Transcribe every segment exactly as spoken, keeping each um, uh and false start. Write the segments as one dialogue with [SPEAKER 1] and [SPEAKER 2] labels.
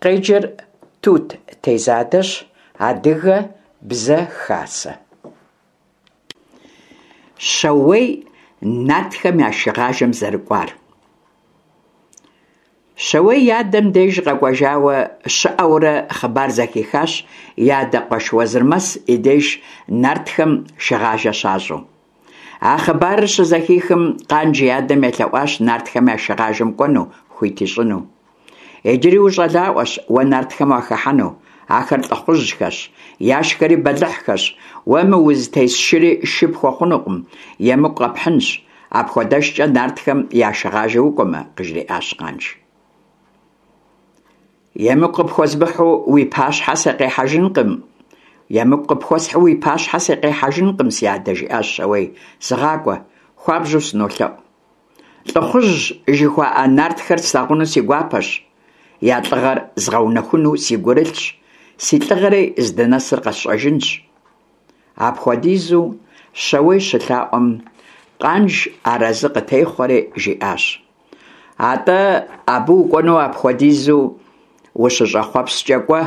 [SPEAKER 1] Къеджэр Тут Тезадэщ. Адыгэ Бзэ Хасэ. Щауей нартхэм я шыгъажэм зэрыкӏуар. Щауей и адэм деж къэкӏуэжауэ щыӏэурэ, хъыбар зэхихащ и адэ къуэш Уэзырмэс и деж нартхэм шыгъажэ щащӏу. А хъыбарыр щызэхихым, Къанж и адэм елъэӏуащ нартхэм я шыгъажэм кӏуэну хуит ищӏыну. Иджыри ущӏалэӏуэщ уэ нартхэм уахыхьэну, ахэр лӏыхъужьхэщ, яшхэри бэлыхьхэщ, уэ мы узытес шыри шы пхуэхъунукъым, емыкӏу къэпхьынщ, апхуэдэшкӏэ нартхэм я шыгъажэ укӏуэмэ, къыжриӏащ Къанж. Емыкӏу къыпхуэзмыхьу уи пащхьэ сыкъихьэжынкъым, емыкӏу къыпхуэсхьу уи пащхьэ сыкъихьэжынкъым, си адэ, жиӏащ Щауей, сыгъакӏуэ, хуабжьу сынолъэӏу. Лӏыхъужь жыхуаӏэ нартхэр слъагъуну си гуапэщ, я лӏыгъэр згъэунэхуну си гурылъщ, си лӏыгъэри здынэсыр къэсщӏэжынщ. Апхуэдизу Щауей щылъаӏуэм, Къанж арэзы къытехъуэри жиӏащ: Атӏэ абы укӏуэну апхуэдизу ущыщӏэхъуэпскӏэ кӏуэ,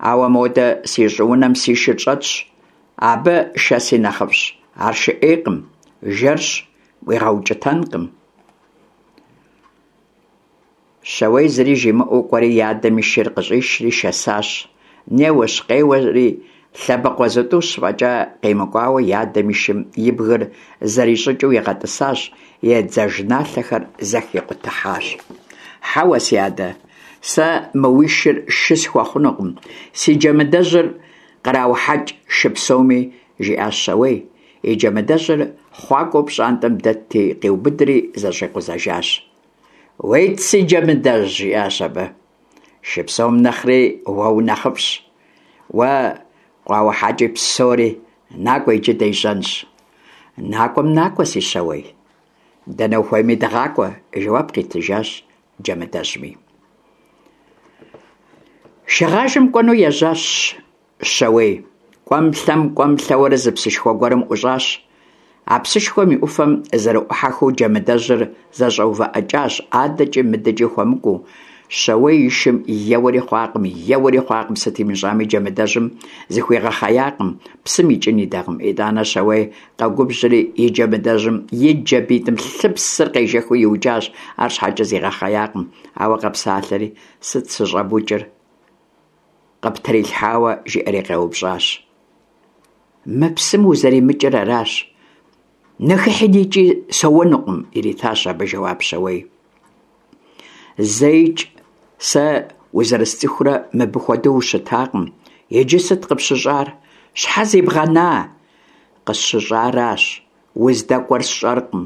[SPEAKER 1] ауэ модэ си щӏыунэм си шыр щӏэтщ, абы шэси нэхъыфӏщ, ар шы ӏейкъым, жэрщ, уигъэукӏытэнкъым. Щауей зыри жимыӏэу кӏуэри и адэм и шыр къыщӏишри шэсащ. Неуэщ-къеуэри, лъэбакъуэ зытӏущ фӏэкӏа къимыкӏуауэ и адэм и шым и бгыр зэрищӏыкӏыу игъэтӏысащ, и дзажэналъэхэр зэхикъутыхьащ. Хьэуэ, си адэ, сэ мы уи шыр шы схуэхъунукъым, си джэмыдэжьыр къраухьэкӏ шы псоми, жиӏащ Щауей. И джэмыдэжьыр хъуакӏуэу пщӏантӏэм дэтти, къиубыдри зэщӏикъузэжащ. Уейт, си джэмыдэжь, жиӏащ абы. Шы псом нэхъри уэ унэхъыфӏщ. Уэ къуаухьэкӏи псори, накӏуэ иджы дежьэнщ. Накӏуэм накӏуэ, си Щауей. Дэнэ ухуейми дыгъакӏуэ, жэуап къитыжащ джэмыдэжьми. Шыгъажэм кӏуэну ежьащ Щауей. Кӏуэм-лъэм, кӏуэм-лъэуэрэ зы псышхуэ гуэрым ӏущӏащ. А псышхуэм и ӏуфэм зэрыӏухьэххэу джэмыдэжьыр зэщӏэувыӏыкӏащ, адэкӏи мыдэкӏи хуэмыкӏуэу. Щауей и шым еуэри хъуакъым, еуэри хъуакъым, сыт имыщӏами джэмыдэжьым зыхуигъэхъеякъым, псым икӏын идакъым. Итӏанэ Щауей къэгубжьри и джэмыдэжьым и джабитӏым лъыпсыр къежэхыу иукӏащ, арщхьэкӏэ зигъэхъеякъым. Ауэ къэпсалъэри, сыт сыщӏэбукӏыр къыптрилъхьауэ, жиӏэри къеупщӏащ. Мы псым узэримыкӏыр аращ. Ныхыхьи никӏи соуэнукъым, иритащ абы жэуап Щауей. Зэикӏ сэ узэрысцӏыхурэ мыбы хуэдэу ущытакъым. Иджы сыт къыпщыщӏар? Щхьэ зибгъэна? Къысщыщӏаращ, уздэкӏуэр сщӏэркъым.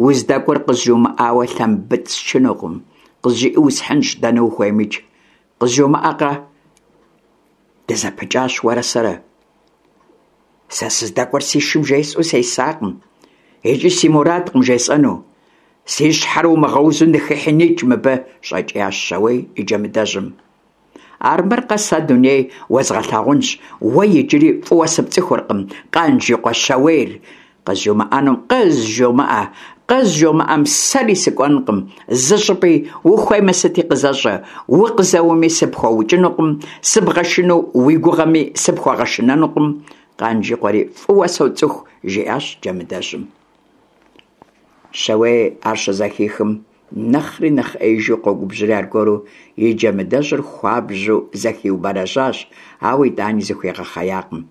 [SPEAKER 1] Уздэкӏуэр къызжумыӏауэ лъэмбытӏ счынукъым. Къызжыӏи усхьынщ, дэнэ ухуеймикӏ. Къызжомыӏэкъэ? Дызэпыкӏащ уэрэ сэрэ. Сэ сыздэкӏуэр си шым жесӏэу сесакъым, икӏи си мурадкъым жесӏэну. Си щхьэр умыгъэузу ныхыхьи никӏ мыбы, щӏэкӏиящ Щауей и джэмыдэжьым. Армыркъэ сэ дуней уэзгъэлъагъунщ, уэ иджыри фӏыуэ сыпцӏыхуркъым, Къанж и къуэ Щауейр. Къызжумыӏэнум къызжумыӏэ, къызжумыӏэм сэри сыкӏуэнкъым зы щӏыпӏи, ухуеймэ сыти къызэщӏэ, укъызэуэми сыпхуэукӏынукъым, сыбгъэшыну уи гугъэми сыпхуэгъэшынэнукъым. Къанж и къуэри фӏыуэ соцӏыху, жиӏащ джэмыдэжьым. Щауей ар щызэхихым, нэхъри нэхъ ӏеижу къэгубжьри аргуэру и джэмыдэжьыр хуабжьу зэхиубэрэжьащ, ауэ итӏани зыхуигъэхъеякъым.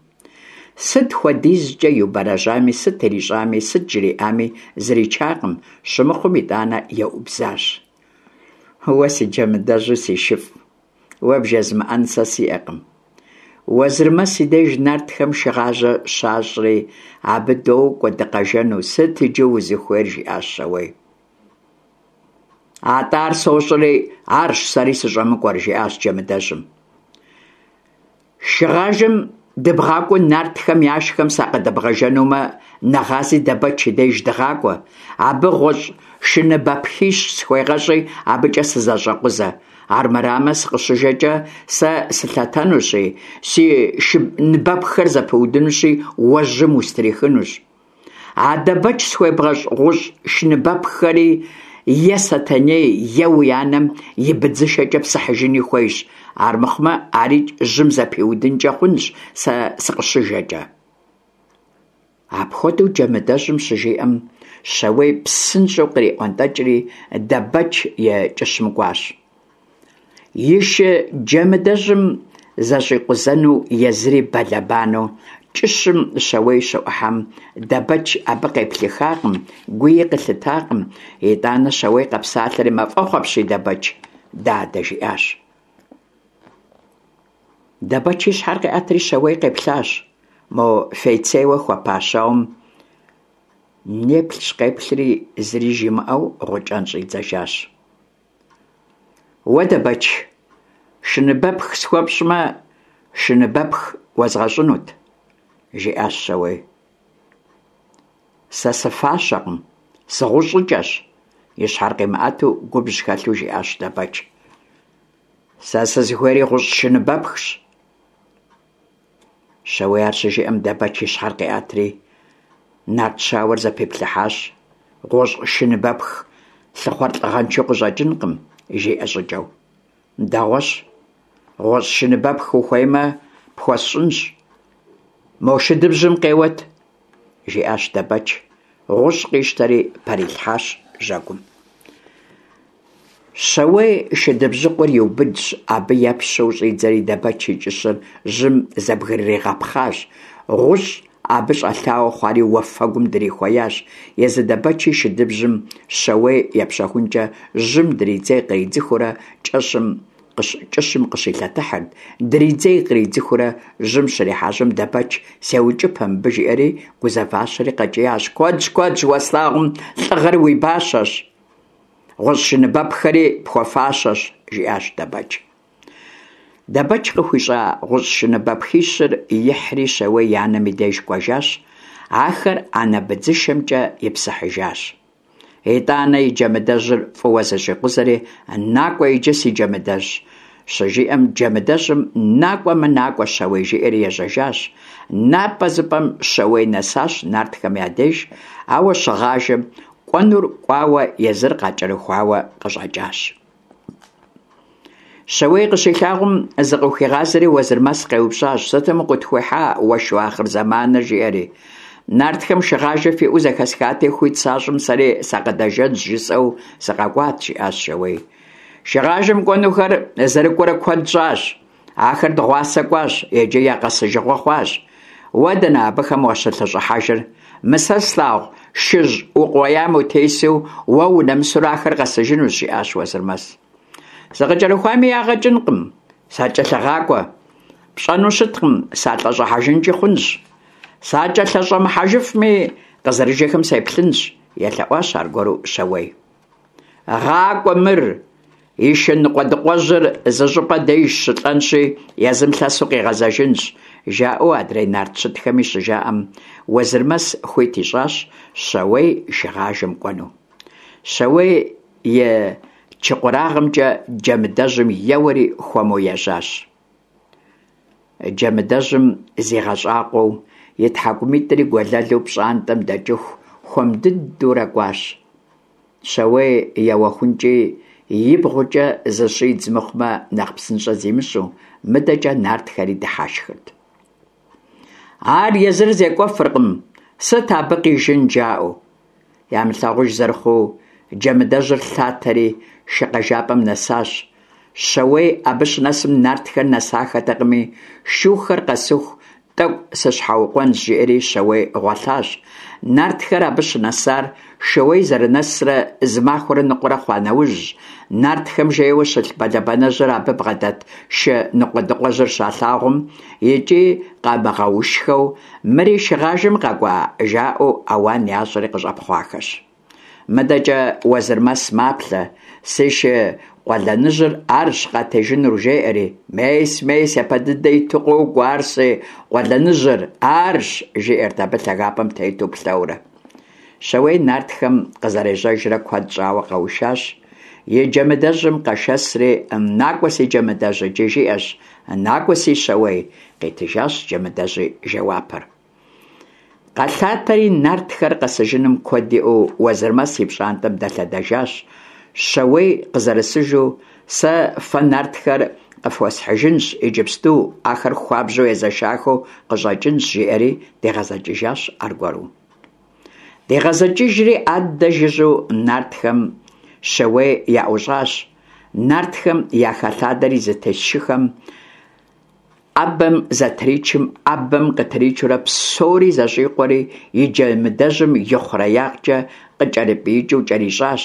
[SPEAKER 1] Сыт хуэдизкӏэ иубэрэжьами, сыт ирищӏами, сыт жриӏами зричакъым, щымыхъум итӏанэ еубзащ. Уэ си джэмыдэжьу си шыфӏ, уэ бжезмыӏэн сэ сиӏэкъым. Уэзырмэс и деж нартхэм шыгъажэ щащӏри, абы докӏуэ дыкъэжэну, сыт иджы узыхуейр, жиӏащ Щауей. Атӏэ ар сощӏэри арщ сэри сыщӏэмыкӏуэр, жиӏащ джэмыдэжьым. Шыгъажэм дыбгъакӏуэу нартхэм яшхэм сакъыдэбгъэжэнумэ, нэгъази Дэбэч и деж дыгъакӏуэ. Абы гъущӏ шыныбэпхищ схуегъэщӏи, абыкӏэ сызэщӏэкъузэ. Армырамэ, сыкъыщыжэкӏэ сэ сылъэтэнущи, си шыныбэпххэр зэпыудынущи, уэ жьым устрихынущ. А Дэбэч схуебгъэщӏ гъущӏ шыныбэпххэри е Сэтэней, е уи анэм и быдзышэкӏэ псыхьыжыни хуейщ, армыхъумэ арикӏ жьым зэпиудынкӏэ хъунщ сэ сыкъыщыжэкӏэ. Апхуэдэу Джэмыдэжьым щыжиӏэм, Щауей псынщӏэу къриӏуэнтӏэкӏри Дэбэч и кӏыщым кӏуащ. И шы Джэмыдэжьым зэщӏикъузэну езыри бэлэбанэу кӏыщым Щауей щыӏухьэм, Дэбэч абы къеплъыхакъым, гуи къылъытакъым. Итӏанэ Щауей къэпсалъэри: «Мафӏэхъу апщий, Дэбэч, дадэ», – жиӏащ. Дэбэч и щхьэр къиӏэтри Щауей къеплъащ. Мо фейцейуэ хуэпа щауэм неплъщ-къеплъри, зыри жимыӏэу гъукӏэн щӏидзэжащ. Уэ, Дэбэч, шыныбэпх схуэпщӏмэ, шыныбэпх уэзгъэщӏынут, – жиӏащ Щауей. Сэ сыфащэкъым, сыгъущӏыкӏэщ, – и щхьэр къимыӏэту губжь хэлъу жиӏащ Дэбэч. Сэ сызыхуейри гъущӏ шыныбэпхщ. Щауей ар щыжиӏэм, Дэбэч и щхьэр къиӏэтри нарт щауэр зэпиплъыхьащ. Гъущӏ шыныбэпх лъыхъуэр лӏыгъэншэу къыщӏэкӏынкъым, жиӏэ щӏыкӏэу. Дэгъуэщ, гъущӏ шыныбэпх ухуеймэ, пхуэсщӏынщ. Мо шыдыбжьым къеуэт, жиӏащ Дэбэч. Гъущӏ къищтэри пэрилъхьащ жьэгум. Щауей шыдыбжьыкъур иубыдщ, абы епщэу щӏидзэри Дэбэч и кӏыщыр жьым зэбгрыригъэпхъащ. Гъущӏ абы щӏэлъауэ хъуари уафэгум дрихуеящ. Езы Дэбэчи шыдыбжьым Щауей епщэхункӏэ жьым дридзей-къридзыхыурэ кӏэщым кӏыщым къыщилъэтыхьырт. Дридзей-къридзыхыурэ жьым щрихьэжьэм, Дэбэч «сеукӏыпэ мыбы» жиӏэри гузэващэри къэкӏиящ: «Куэдщ, куэдщ, уэслъагъум лӏыгъэр уи бащэщ, гъущӏ шыныбэпххэри пхуэфащэщ», – жиӏащ Дэбэч. Дэбэч къыхуищӏа гъущӏ шыныбэпхищыр ихьри Щауей и анэм и деж кӏуэжащ, ахэр анэ быдзышэмкӏэ ипсыхьыжащ. Итӏанэ и джэмыдэжьыр фӏыуэ зэщӏикъузэри: «Накӏуэ иджы, си джэмыдэжь», щыжиӏэм, джэмыдэжьым «накӏуэмэ-накӏуэ, Щауей», жиӏэри ежьэжащ. Напӏэзыпӏэм Щауей нэсащ нартхэм я деж, ауэ щыгъажэм кӏуэнур кӏуауэ, езыр къакӏэрыхуауэ къыщӏэкӏащ. Щауей къыщилъагъум, зыкъыхуигъазэри Уэзырмэс къеупщӏащ: «Сытым укъытхуихьа уэ шу ахъырзэманыр?» – жиӏэри. Нартхэм шыгъажэ фиӏэу зэхэсхати, хуит сащӏым сэри сакъыдэжэнщ жысӏэу сыкъэкӏуат, жиӏащ Щауей. Шыгъажэм кӏуэнухэр зэрыкӏуэрэ куэд щӏащ. Ахэр дыгъуасэ кӏуащ, иджы я къэсыжыгъуэ хъуащ. Уэ дэнэ абыхэм уащылъэщӏыхьэжыр? Мы сэ слъагъу шыжь укъуеям утесу уэ унэмысурэ ахэр къэсыжынущ, жиӏащ Уэзырмэс. Сыкъыкӏэрыхуами ягъэ кӏынкъым, сакӏэлъыгъакӏуэ. Пщӏэну щыткъым, салӏэщӏыхьэжынкӏи хъунщ. Сакӏэлъыщӏэмыхьэжыфми, къызэрыжэхэм сеплъынщ, елъэӏуащ аргуэру Щауей. Гъакӏуэ мыр, и шы ныкъуэдыкъуэжьыр зы щӏыпӏэ деж щылӏэнщи, езым лъэсу къигъэзэжынщ, жаӏэу адрей нарт щытхэми щыжаӏэм, Уэзырмэс хуит ищӏащ Щауей шыгъажэм кӏуэну. Щауей и чыкъурагъымкӏэ джэмыдэжьым еуэри хуэму ежьащ. Джэмыдэжьым зигъэщӏакъуэу, и тхьэкӏумитӏри гуэлэлу пщӏантӏэм дэкӏыху хуэм дыдэурэ кӏуащ. Щауей еуэхункӏи ибгъукӏэ зыщӏидз мыхъумэ, нэхъ псынщӏэ зимыщӏу, мыдэкӏэ нартхэри дыхьэшхырт. Ар езыр зекӏуэфыркъым, сыт абы къижын, жаӏэу. Ямылъагъуж зэрыхъуу, джэмыдэжьыр лъатэри шы къэжапӏэм нэсащ. Щауей абы щынэсым нартхэр нэсахэтэкъыми, шухэр къэсыху тӏэкӏу сыщхьэукъуэнщ, жиӏэри Щауей гъуэлъащ. Нартхэр абы щынэсар Шууей зэрынэсрэ зы махуэрэ ныкъуэрэ хъуа нэужьщ. Нартхэм жейуэ щылъ бэлэбанэжьыр абы бгъэдэт шы ныкъуэдыкъуэжьыр щалъагъум икӏи къамыгъэушхэу, мыри шыгъажэм къэкӏуа, жаӏэу ауан ящӏри къыщӏэпхъуахэщ. Мыдэкӏэ Уэзырмэс маплъэ, си шы къуэлэныжьыр арщ къатежынур, жеӏэри. Мес, мес, япэ дыдэ иту къокӏуэ ар си къуэлэныжьыр, арщ, жиӏэрт абы лъагапӏэм тету плъэурэ. Щауей нартхэм къызэрежьэжрэ куэд щӏауэ къэушащ. И джэмыдэжьым къэшэсри, «Накӏуэ, си джэмыдэжь» иджы жиӏэщ, «Накӏуэ, си Щауей», къитыжащ джэмыдэжьи жэуапыр. Къэлъатэри, нартхэр къэсыжыным куэд иӀэу, Уэзырмэс и пщӀантӀэм дэлъэдэжащ. Щэуей къызэрысыжу: «Сэ фэ нартхэр къыфхуэсхьыжынщ иджыпсту, ахэр хуабжьу езэшахэу къыщӀэкӀынщ», – жиӀэри дигъэзэкӀыжащ аргуэру. ДигъэзэкӀыжри, аддэ жыжьэу нартхэм Щэуей яӀущӀащ. Нартхэм яхэлъадэри зытес шыхэм Ӏэбэм зэтричым, ӏэбэм къытричурэ псори зэщӀикъуэри, и джэмыдэжьым и хъуреягъкӀэ къыкӀэрыпӀиикӀыу кӀэрищӀащ.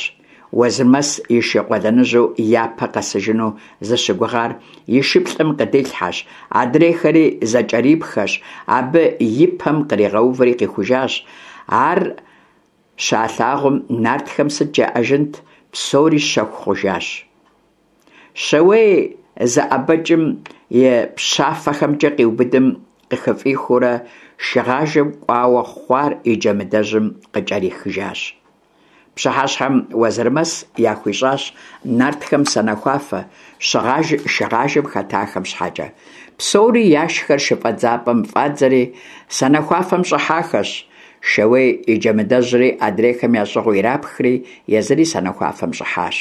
[SPEAKER 1] Уэзырмэс и шы къуэлэныжьу япэ къэсыжыну зыщыгугъар и шыплӀэм къыдилъхьэщ, адрейхэри зэкӀэрипхэщ, абы и пэм къригъэувэри къихужащ. Ар щалъагъум, нартхэм сыт жаӀэжынт, псори щэху хъужащ. Щэуей зэӀэбэкӀым и пщафэхэмкӀэ къиубыдым къыхыфӀихыурэ шыгъажэм кӀуауэ хъуар и джэмыдэжьым къыкӀэрихыжащ. Пщыхьэщхьэм Уэзырмэс яхуищӀащ нартхэм санэхуафэ, шыгъажэм хэтахэм щхьэкӀэ. Псори яшхэр шыфӀэдзапӀэм фӀадзэри, санэхуафэм щӀыхьахэщ. Щэуей и джэмыдэжьри адрейхэм ящӀыгъуу ирапхри, езыри санэхуафэм щӀыхьащ.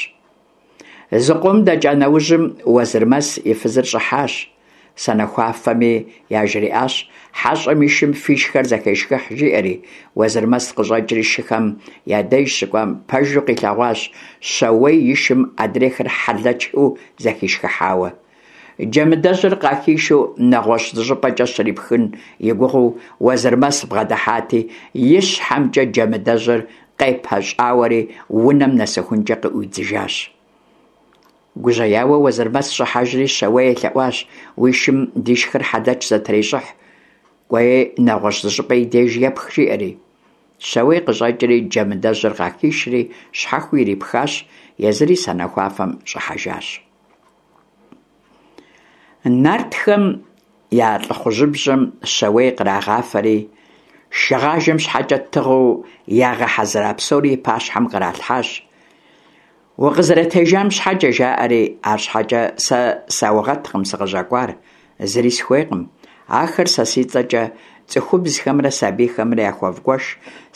[SPEAKER 1] Зыкъом дэкӀа нэужьым, Уэзырмэс и фызыр щӀыхьащ санэхуафэми, яжриӀащ: «ХьэщӀэм и шым фишхэр зэхешхыхь», – жиӀэри. Уэзырмэс къыщӀэкӀри шыхэм я деж щыкӀуам, пэжу къилъэгъуащ Щэуей и шым адрейхэр хьэлэчу зэхишхыхьауэ. Джэмыдэжьыр къахишу нэгъуэщӀ зыщӀыпӀэкӀэ щрипхын и гугъэу Уэзырмэс бгъэдыхьати, и щхьэмкӀэ джэмыдэжьыр къепэщӀауэри унэм нэсыхункӀэ къыӀуидзыжащ. Гужьеяуэ Уэзырмэс щӀыхьэжри Щэуей елъэӀуащ: «Уи шым дишхэр хьэлэч зэтрещӀыхь, кӀуэи нэгъуэщӀ зыщӀыпӀэ и деж епх», – жиӀэри. Щэуей къыщӀэкӀри джэмыдэжьыр къахишри щхьэхуэу ирипхащ, езыри санэхуафэм щӀыхьэжащ. Нартхэм я лӀыхъужьыбжьэм Щэуей кърагъафэри, шыгъажэм щхьэкӀэ тыгъэу ягъэхьэзыра псори и пащхьэм къралъхьащ. «Укъызэрытежам щхьэкӀэ», – жаӀэри, арщхьэкӀэ «сэ саугъэткъым сыкъыщӀэкӀуар, зыри сыхуейкъым. Ахэр сэ си цӀэкӀэ цӀыхубзхэмрэ сабийхэмрэ яхуэвгуэш,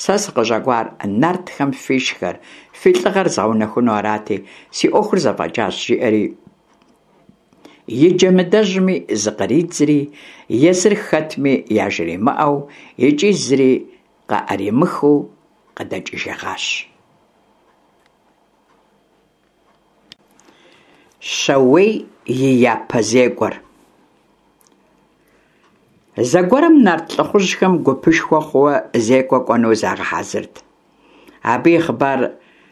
[SPEAKER 1] сэ сыкъыщӀэкӀуар нартхэм фишхэр, фи лӀыгъэр згъэунэхуну арати, си Ӏуэхур зэфӀэкӀащ», – жиӀэри и джэмыдэжьми зыкъридзри, езыр хэтми яжримыӀэу икӀи зыри къаӀримыхыу къыдэкӀыжыгъащ. Щэуей и япэ зекӀуэр. Зэгуэрым нарт лӀыхъужьхэм гупышхуэ хъууэ зекӀуэ кӀуэну загъэхьэзырт. Абы и хъыбар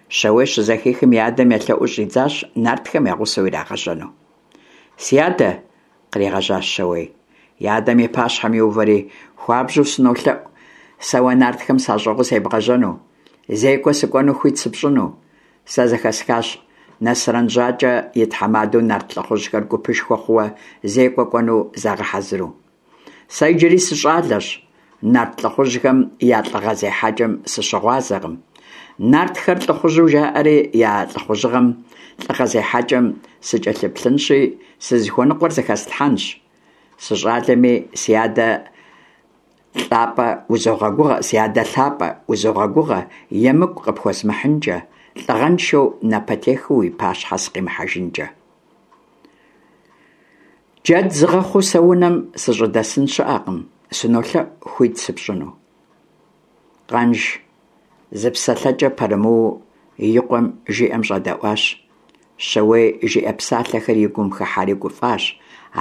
[SPEAKER 1] Щэуей щызэхихым, и адэм елъэӀуу щӀидзащ нартхэм я гъусэу ирагъэжьэну. «Си адэ, – къригъэжьащ Щэуей, и адэм и пащхьэм иувэри, – хуабжьу сынолъэӀу сэ уэ нартхэм сащӀыгъуу себгъэжьэну, зекӀуэ сыкӀуэну хуит сыпщӀыну. Сэ зэхэсхащ Насрэн ЖьакӀэ и тхьэмадэу нарт лӀыхъужьхэр гупышхуэ хъууэ зекӀуэ кӀуэну загъэхьэзыру. Сэ иджыри сыщӀалэщ, нарт лӀыхъужьхэм я лӀыгъэ зехьэкӀэм сыщыгъуазэкъым. Нартхэр лӀыхъужьу жаӀэри, я лӀыхъужьыгъэм, лӀыгъэ зехьэкӀэм сыкӀэлъыплъынщи, сызыхуэныкъуэр зыхэслъхьэнщ. СыщӀалэми, си адэ лӀапӀэ узогъэгугъэ, си адэ лъапӀэ, узогъэгугъэ, емыкӀу къыпхуэзмыхьынкӀэ, лӀыгъэншэу, напэтехыу уи пащхьэ сыкъимыхьэжынкӀэ. Джэд згъэхъуу сэ унэм сыщӀыдэсын щыӀэкъым, сынолъэӀу хуит сыпщӀыну». Къанж зы псэлъэкӀэ пэрымыуу и къуэм жиӀэм щӀэдэӀуащ. Щэуей жиӀэ псалъэхэр и гум хыхьэри гуфӀащ,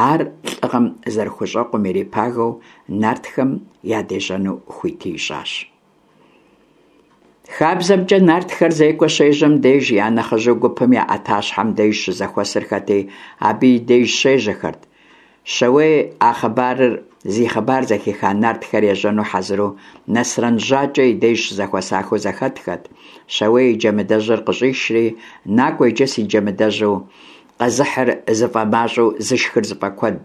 [SPEAKER 1] ар лӀыгъэм зэрыхущӀэкъум ирипагэу нартхэм ядежьэну хуити ищӀащ. ХабзэмкӀэ нартхэр зекӀуэ щежьэм деж я нэхъыжьу гупым я Ӏэтащхьэм деж щызэхуэсырхэти, абы и деж щежьэхэрт. Щэуей а хъыбарыр зи хъыбар зэхиха нартхэр ежьэну хьэзыру Насрэн ЖьакӀэ и деж щызэхуэсахэу зэхэтхэт. Щэуей и джэмыдэжьыр къыщӀишри: «НакӀуэ иджы, си джэмыдэжьу, къэзыхьыр зыфӀэмащӀэу зышхыр зыфӀэкуэд,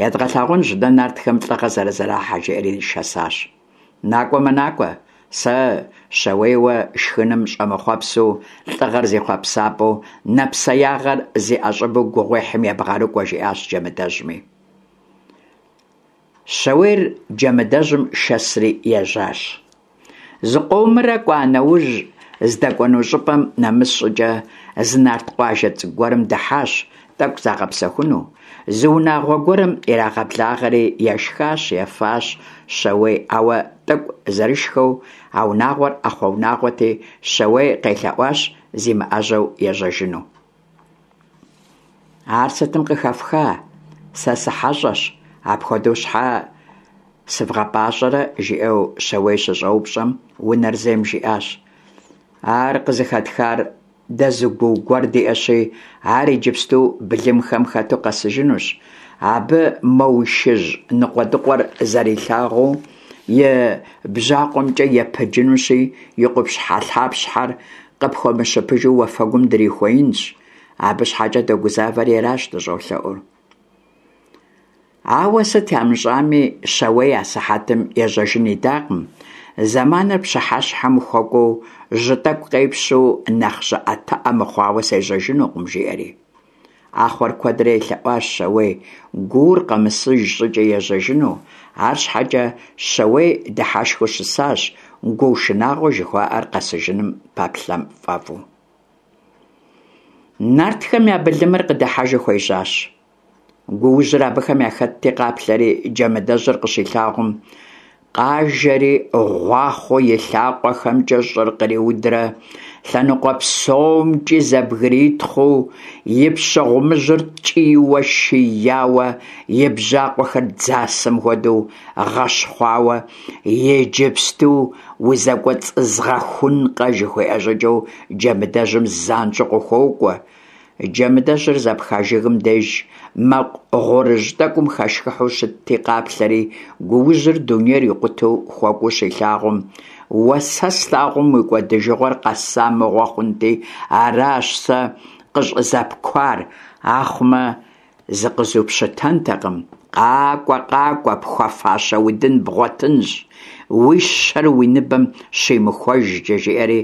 [SPEAKER 1] едгъэлъагъунщ дэ нартхэм лӀыгъэ зэрызэрахьэр», – жиӀэри шэсащ. «НакӀуэмэ, накӀуэ, сэ Щэуейуэ шхыным щӀэмыхъуэпсу, лӀыгъэр зи хъуэпсапӀэу, нэпсеягъэр зи ӀэщӀыбу гугъуехьым ебгъэрыкӀуэ», – жиӀащ джэмыдэжьми. Щауейр Джэмыдэжьым шэсри ежьащ. Зыкъомрэ кӀуа нэужь, здэкӀуэну щӀыпӀэм нэмыс щӀыкӀэ, зы нарт къуажэ цӀыкӀу гуэрым дыхьащ, тӀэкӀу загъэпсэхуну. Зы унагъуэ гуэрым ирагъэблагъэри ешхащ, ефащ Щауей, ауэ тӀэкӀу зэрышхэу, а унагъуэр Ӏэхъуэ унагъуэти, Щауей къелъэӀуащ зимыӀэжьэу ежьэжыну. Ар сытым къыхэфха, сэ сыхьэщӀэщ, апхуэдэу щхьэ сывгъэпӀащӀэрэ? – жиӀэу Щауей щыщӀэупщӀэм, унэр зейм жиӀащ: – Ар къызыхэтхар дэ зы гуу гуэр диӀэщи, ар иджыпсту былымхэм хэту къэсыжынущ, абы мо уи шыжь ныкъуэдыкъуэр зэрилъагъуу и бжьакъуэмкӀэ епыджынущи, и къупщхьэлъапщхьэр къыпхуэмыщыпыжу уафэгум дрихуеинщ, абы щхьэкӀэ догузавэри аращ дыщӀолъэӀур. Ауэ сыт ямыщӀами, Щауей асыхьэтым ежьэжын идакъым: зэманыр пщыхьэщхьэм хуэкӀуэу, жьы тӀэкӀу къепщэу, нэхъ щӀыӀэтыӀэ мыхъуауэ сежьэжынукъым, жиӀэри. Ӏэхъуэр куэдрэ елъэӀуащ Щауей гуур къэмысыж щӀыкӀэ ежьэжыну, арщхьэкӀэ Щауей дыхьэшхыу щысащ, гуу шынагъуэ жыхуаӀэр къэсыжыным пэплъэм фӀэфӀу. Нартхэм я былымыр къыдыхьэжу хуежьащ. Гуужьыр абыхэм яхэтти къаплъэри, Джэмыдэжьыр къыщилъагъум, къажэри гъуахъуэу и лъакъуэхэмкӀэ щӀыр къриудрэ лъэныкъуэ псомкӀи зэбгритхъуу, и пщэ гъумыжьыр ткӀийуэ шияуэ, и бжьакъуэхэр дзасэм хуэдэу гъэщхъуауэ, иджыпсту узэкӀуэцӀызгъэхункъэ жыхуиӀэ щӀыкӀэу Джэмыдэжьым занщӀэу къыхуокӀуэ. Джэмыдэжьыр зэпха жыгым деж мэкъу гъурыжь тӀэкӀум хэшхыхьу щытти къаплъэри, гуужьыр дунейр икъутэу хуэкӀуэу щилъагъум, уэ сэ слъагъум уи кӀуэдыжыгъуэр къэса мыгъуэ хъунти, аращ сэ къыщӀызэпкуар, ахъумэ зыкъызупщытэнтэкъым, къакӀуэ, къакӀуэ, пхуэфащэ удын бгъуэтынщ, уи щэр уи ныбэм щимыхуэжкӀэ, жиӀэри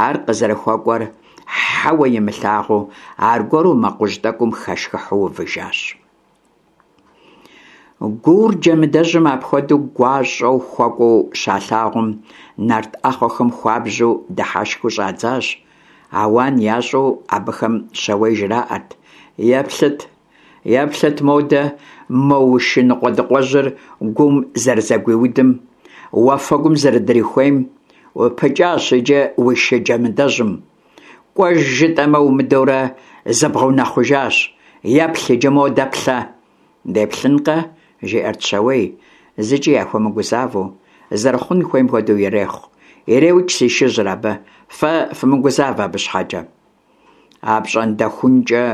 [SPEAKER 1] ар къызэрыхуэкӀуэр хьэуэ имылъагъуу, аргуэру мэкъужь тӀэкӀум хэшхыхьу увыжащ. Гуур Джэмыдэжьым апхуэдэу гуащӀэу хуэкӀуэу щалъагъум, нарт Ӏэхъуэхэм хуабжьу дыхьэшхыу щӀадзащ. Ауан ящӀу абыхэм Щауей жраӀэрт: Еплъыт, еплъыт модэ мо уи шы ныкъуэдыкъуэжьыр гуум зэрызэгуиудым, уафэгум зэрыдрихуейм, упыкӀащ иджы уи шы Джэмыдэжьым. КӀуэж жытӀэмэ умыдэурэ, зыбгъэунэхъужащ, еплъ иджы модэ плъэ. Деплъынкъэ, жиӀэрт Щауей, зыкӀи яхуэмыгузавэу, зэрыхъун хуейм хуэдэу ирехъу, иреукӀ си шыжьыр абы, фэ фымыгузавэ абы щхьэкӀэ. АпщӀондэхункӀэ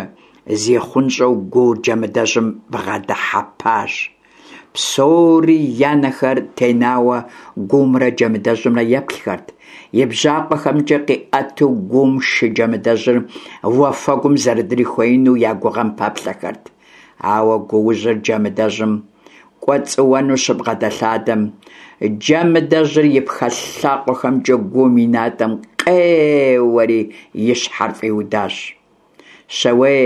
[SPEAKER 1] зихъунщӀэу гуур Джэмыдэжьым бгъэдыхьэпащ. Псори я нэхэр тенауэ гуумрэ Джэмыдэжьымрэ еплъхэрт. И бжьакъуэхэмкӀэ къиӀэту гуум шы Джэмыдэжьыр уафэгум зэрыдрихуеину я гугъэм пэплъэхэрт. Ауэ гуужьыр Джэмыдэжьым кӀуэцӀыуэну щыбгъэдэлъадэм, Джэмыдэжьыр и пхэ лъакъуэхэмкӀэ гуум и натӀэм къеуэри и щхьэр фӀиудащ. Щауей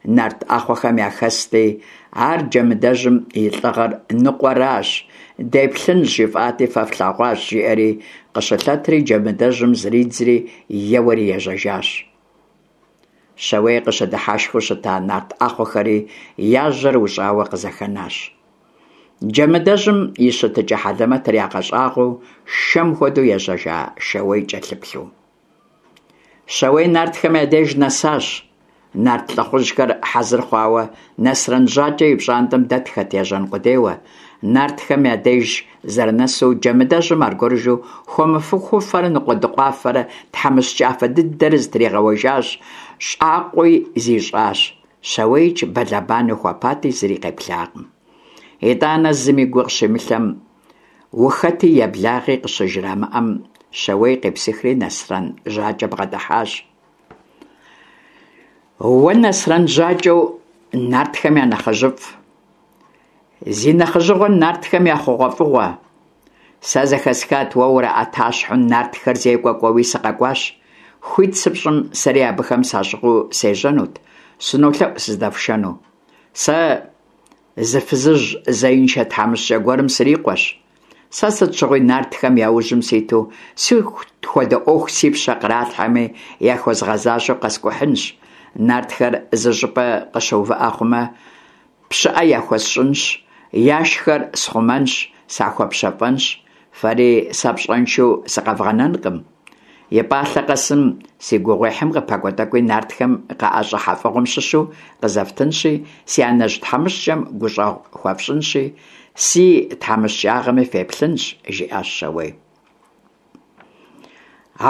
[SPEAKER 1] нарт Ӏэхъуэхэм яхэсти, ар Джэмыдэжьым и лӀыгъэр ныкъуэращ, деплъынщ жыфӀати, фэ флъэгъуащ, жиӀэри къыщылъэтри Джэмыдэжьым зридзри еуэри ежьэжащ. Щауей къыщыдыхьэшхыу щыта нарт Ӏэхъуэхэри я жьэр ущӀауэ къызэхэнащ. Джэмыдэжьым и щытыкӀэ хьэлэмэтыр ягъэщӀагъуэу шэм хуэдэу ежьэжа Щауей кӀэлъыплъу. Щауей нартхэм я деж нэсащ. Нарт лӀыхъужьхэр хьэзыр хъуауэ Нэсрэн ЖьакӀэ и пщӀантӀэм дэтхэт ежьэн къудейуэ. Нартхэм я деж зэрынэсу, Джэмыдэжьым аргуэрыжьу хуэмыхуфэрэ ныкъуэдыкъуафэрэ тхьэмыщкӀафэ дыдэрэ зытригъэуэжащ, щӀакъуи зищӀащ. ЩауеикӀ бэлэбанэу хуэпати, зыри къеплъакъым. ИтӀанэ зыми гу къыщимылъэм, ухэти еблагъи къыщыжрамыӀэм, Щауей къепсыхри Нэсрэн ЖьакӀэ бгъэдыхьащ. Уэ Нэсрэн ЖьакӀэу нартхэм я нэхъыжьыфӀ, зи нэхъыжьыгъуэр нартхэм я хъугъуэфӀыгъуэ, сэ зэхэсхат уэ ураӀэтащхьэу нартхэр зекӀуэ кӀуэуи сыкъэкӀуащ. Хуит сыпщӀым, сэри абыхэм сащӀыгъуу сежьэнут, сынолъэӀу сыздэфшэну. Сэ зы фызыжь зеиншэ тхьэмыщкӏэ гуэрым срикъуэщ. Сэ сыт щыгъуи нартхэм я ужьым ситу, сыт хуэдэ ӏуэху си пщэ къралъхьэми, яхуэзгъэзащӏэу къэскӏухьынщ. Нартхэр зы щӏыпӏэ къыщыувыӏэ хъумэ, пщыӏэ яхуэсщӏынщ, яшхэр схъумэнщ, сахуэпщэфӏэнщ. Фэри сэ пщӏэншэу сыкъэвгъэнэнкъым. И пӏалъэ къэсым си гугъуехьым къыпэкӏуэ тӏэкӏуи нартхэм къаӏэщӏыхьэ фӏыгъуэм щыщу къызэфтынщи, си анэжь тхьэмыщкӏэм гущӏэгъу хуэфщӏынщи, си тхьэмыщкӏагъэми феплъынщ, жиӏащ Щауей.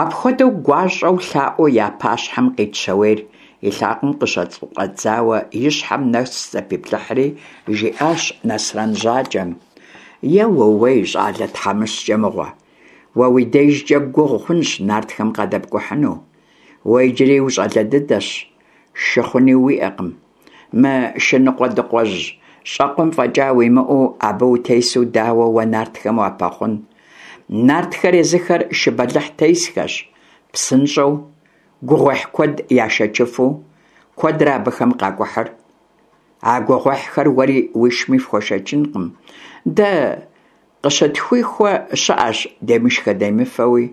[SPEAKER 1] Апхуэдэу гуащӏэу лъаӏуэу я пащхьэм къит Щауейр и лъакъуэм къыщыщӏэдзауэ и щхьэм нэс зэпиплъыхьри, жиӏащ Нэсрэн Жьакӏэм: «Еууей, щӏалэ тхьэмыщкӏэ мыгъуэ, уэ уи дежкӏэ гугъу хъунщ нартхэм къадэпкӏухьыну. Уэ иджыри ущӏалэ дыдэщ, шы хъуни уиӏэкъым. Мы шы ныкъуэдыкъуэжь щӏэкъуэм фӏэкӏа уимыӏэу, абы утесу дауэ уэ нартхэм уапэхъун? Нартхэр езыхэр шы бэлыхь тесхэщ, псынщӏэу, гугъуехь куэд яшэчыфу, куэдрэ абыхэм къакӏухьыр. А гугъуехьхэр уэри уишми фхуэшэчынкъым. Дэ къыщытхуихуэ щыӏэщ демышхэ-демыфэуи,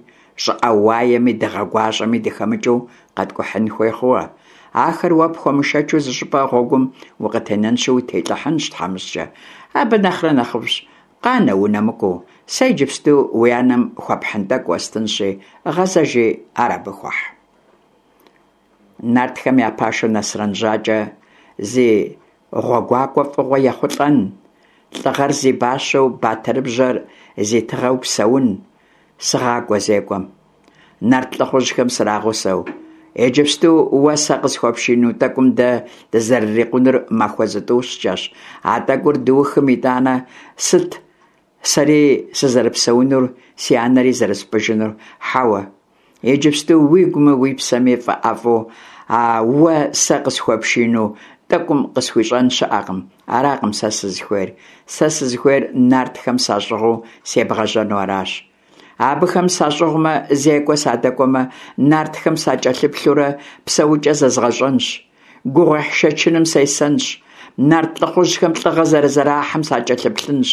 [SPEAKER 1] щӏыӏэ уаеми дыгъэ гуащӏэми дыхэмыкӏыу къэткӏухьын хуей хъууэ. Ахэр уэ пхуэмышэчу зыщӏыпӏэ гъуэгум укъытенэнщи утелӏыхьынщ, тхьэмыщкӏэ. Абы нэхърэ нэхъыфӏщ, къанэ унэмыкӏуэу, сэ иджыпсту уи анэм хуэпхьын тӏэкӏу уэстынщи, гъэзэжи ар абы хуэхь». Нартхэм я пашэу Нэсрэн Жьакӏэ зи гъуэгуакӏуэ фӏыгъуэ ехъулӏэн, лӏыгъэр зи бащэу батырыбжьэр зи тыгъэу псэун, сыгъакӏуэ зекӏуэм, нарт лӏыхъужьхэм срагъусэу. Иджыпсту уэ сэ къысхуэпшину тӏэкӏум дэ дызэрырикъунур махуэ зытӏущкӏэщ. А тӏэкӏур дыухым итӏанэ сыт сэри сызэрыпсэунур, си анэри зэрыспӏыжынур? Хьэуэ, иджыпсту уигуми уи псэми фӏэӏэфӏу а уэ сэ къысхуэпшину тӏэкӏум къысхуищӏэн щыӏэкъым. Аракъым сэ сызыхуейр. Сэ сызыхуейр нартхэм сащӏыгъуу себгъэжьэну аращ. Абыхэм сащӏыгъумэ, зекӏуэ садэкӏуэмэ, нартхэм сакӏэлъыплъурэ псэукӏэ зэзгъэщӏэнщ, гугъуехь шэчыным сесэнщ, нарт лӏыхъужьхэм лӏыгъэ зэрызэрахьэм сакӏэлъыплъынщ.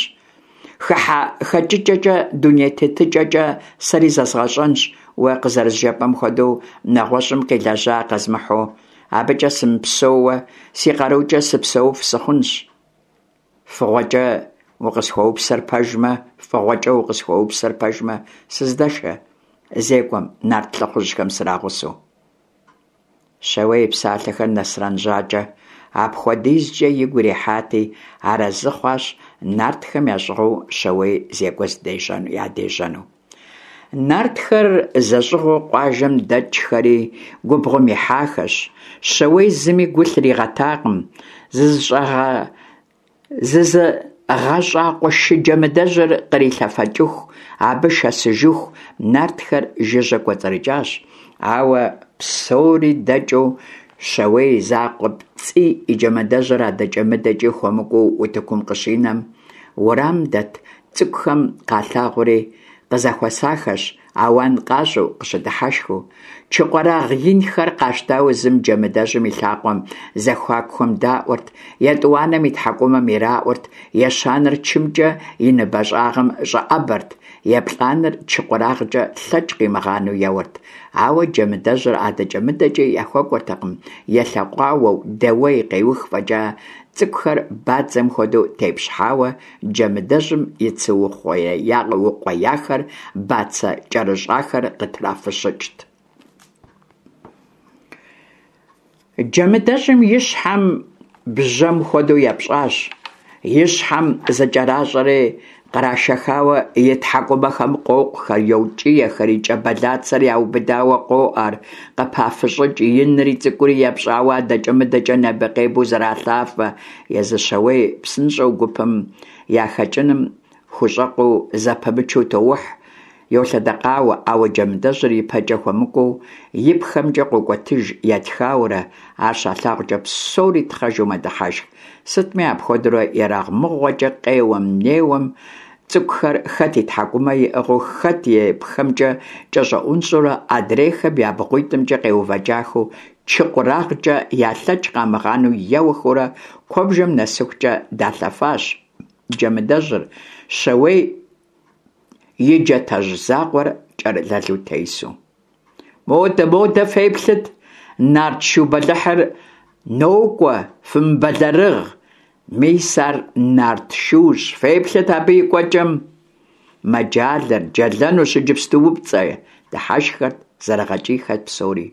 [SPEAKER 1] Хыхьэ-хэкӏыкӏэкӏэ, дуней тетыкӏэкӏэ сэри зэзгъэщӏэнщ, уэ къызэрызжепӏэм хуэдэу нэгъуэщӏым къилэжьа къэзмыхьу, абыкӏэ сымыпсэууэ, си къарукӏэ сыпсэуф сыхъунщ. Фыгъуэкӏэ укъысхуэупсэр пэжмэ, фӏыгъуэкӏэ укъысхуэупсэр пэжмэ, сыздэшэ зекӏуэм нарт лӏыхъужьхэм срагъусэу». Щауей и псалъэхэр Нэсрэн Жьакӏэ апхуэдизкӏэ игу ирихьати, арэзы хъуащ нартхэм ящӏыгъуу Щауей зекӏуэ ядежьэну. Нартхэр зэщӏыгъуу къуажэм дэкӏхэри губгъуэм ихьахэщ. Щауей зыми гу лъригъэтакъым. Зызыгъэщӏакъуэ шы джэмыдэжьыр кърилъэфэкӏыху, абы шэсыжыху нартхэр жыжьэ кӏуэцӏрыкӏащ. Ауэ псори дэкӏыу Щауей закъуэпцӏий и джэмыдэжьыр адэкӏэ-мыдэкӏи хуэмыкӏуэу утыкум къыщинэм, уэрамым дэт цӏыкӏухэм къалъагъури къызэхуэсахэщ, ауан къащӏу, къыщыдыхьэшхыу. Чы къуэрагъ инхэр къащтауэ зым джэмыдэжьым и лъакъуэ зэхуакухэм даӏуэрт, етӏуанэм и тхьэкӏумэм ираӏуэрт, ещанэр чымкӏэ и ныбэ щӏагъым щӏэӏэбэрт, еплӏанэр чы къуэрагъкӏэ лъэкӏ къимыгъанэу еуэрт. Ауэ джэмыдэжьыр адэкӏэ-мыдэкӏи яхуэкӏуэртэкъым, елъэкъуауэу, дэуей-къеух фӏэкӏа, цӏыкӏухэр бадзэм хуэдэу тепщхьауэ джэмыдэжьым и цы укъуеяхэр, бацэ кӏэрыщӏахэр къытрафыщӏыкӏт. Джэмыдэжьым и щхьэм бжьэм хуэдэу епщӏащ, и щхьэм зыкӏэращӏэри кърашэхауэ и тхьэкӏумэхэм къокъухэр, йокӏиехэр, и кӏэ бэлацэр яубыдауэ къоӏэр, къыпафыщӏыкӏ, инри цӏыкӏури епщӏауэ адэкӏэ-мыдэкӏэ небэ-къебэу зэралъафэ. Езы Щауей псынщӏэу гупым яхэкӏыным хущӏэкъуу зэпымычу тоухь, йолъэдэкъауэ, ауэ джэмыдэжьыр ипэкӏэ хуэмыкӏуэу и пхэмкӏэ къокӏуэтыж етхауэрэ, ар щалъагъукӏэ псори тхъэжу мэдыхьэшх. Сытми апхуэдэурэ ерагъмыгъуэкӏэ къеуэм-неуэм, цӏыкӏухэр хэт и тхьэкӏумэ иӏыгъыу, хэт и пхэмкӏэ кӏэщӏэӏунщӏэурэ, адрейхэм я бгъуитӏымкӏэ къеувэкӏахэу чы къурагъкӏэ ялъэкӏ къамыгъанэу еуэхэурэ куэбжэм нэсыхукӏэ далъэфащ Джэмыдэжьыр, Щэуей и джатэжь закъуэр кӏэрылэлу тесу. Модэ, модэ феплъыт, нарт шу бэлыхьыр нокӏуэ, фымыбэлэрыгъ, мис ар нарт шущ, феплъыт абы и кӏуэкӏэм. Мэджалэр, джэлэнущ иджыпстуупцӏэ, дыхьэшххэрт, зэрыгъэкӏийхэрт псори.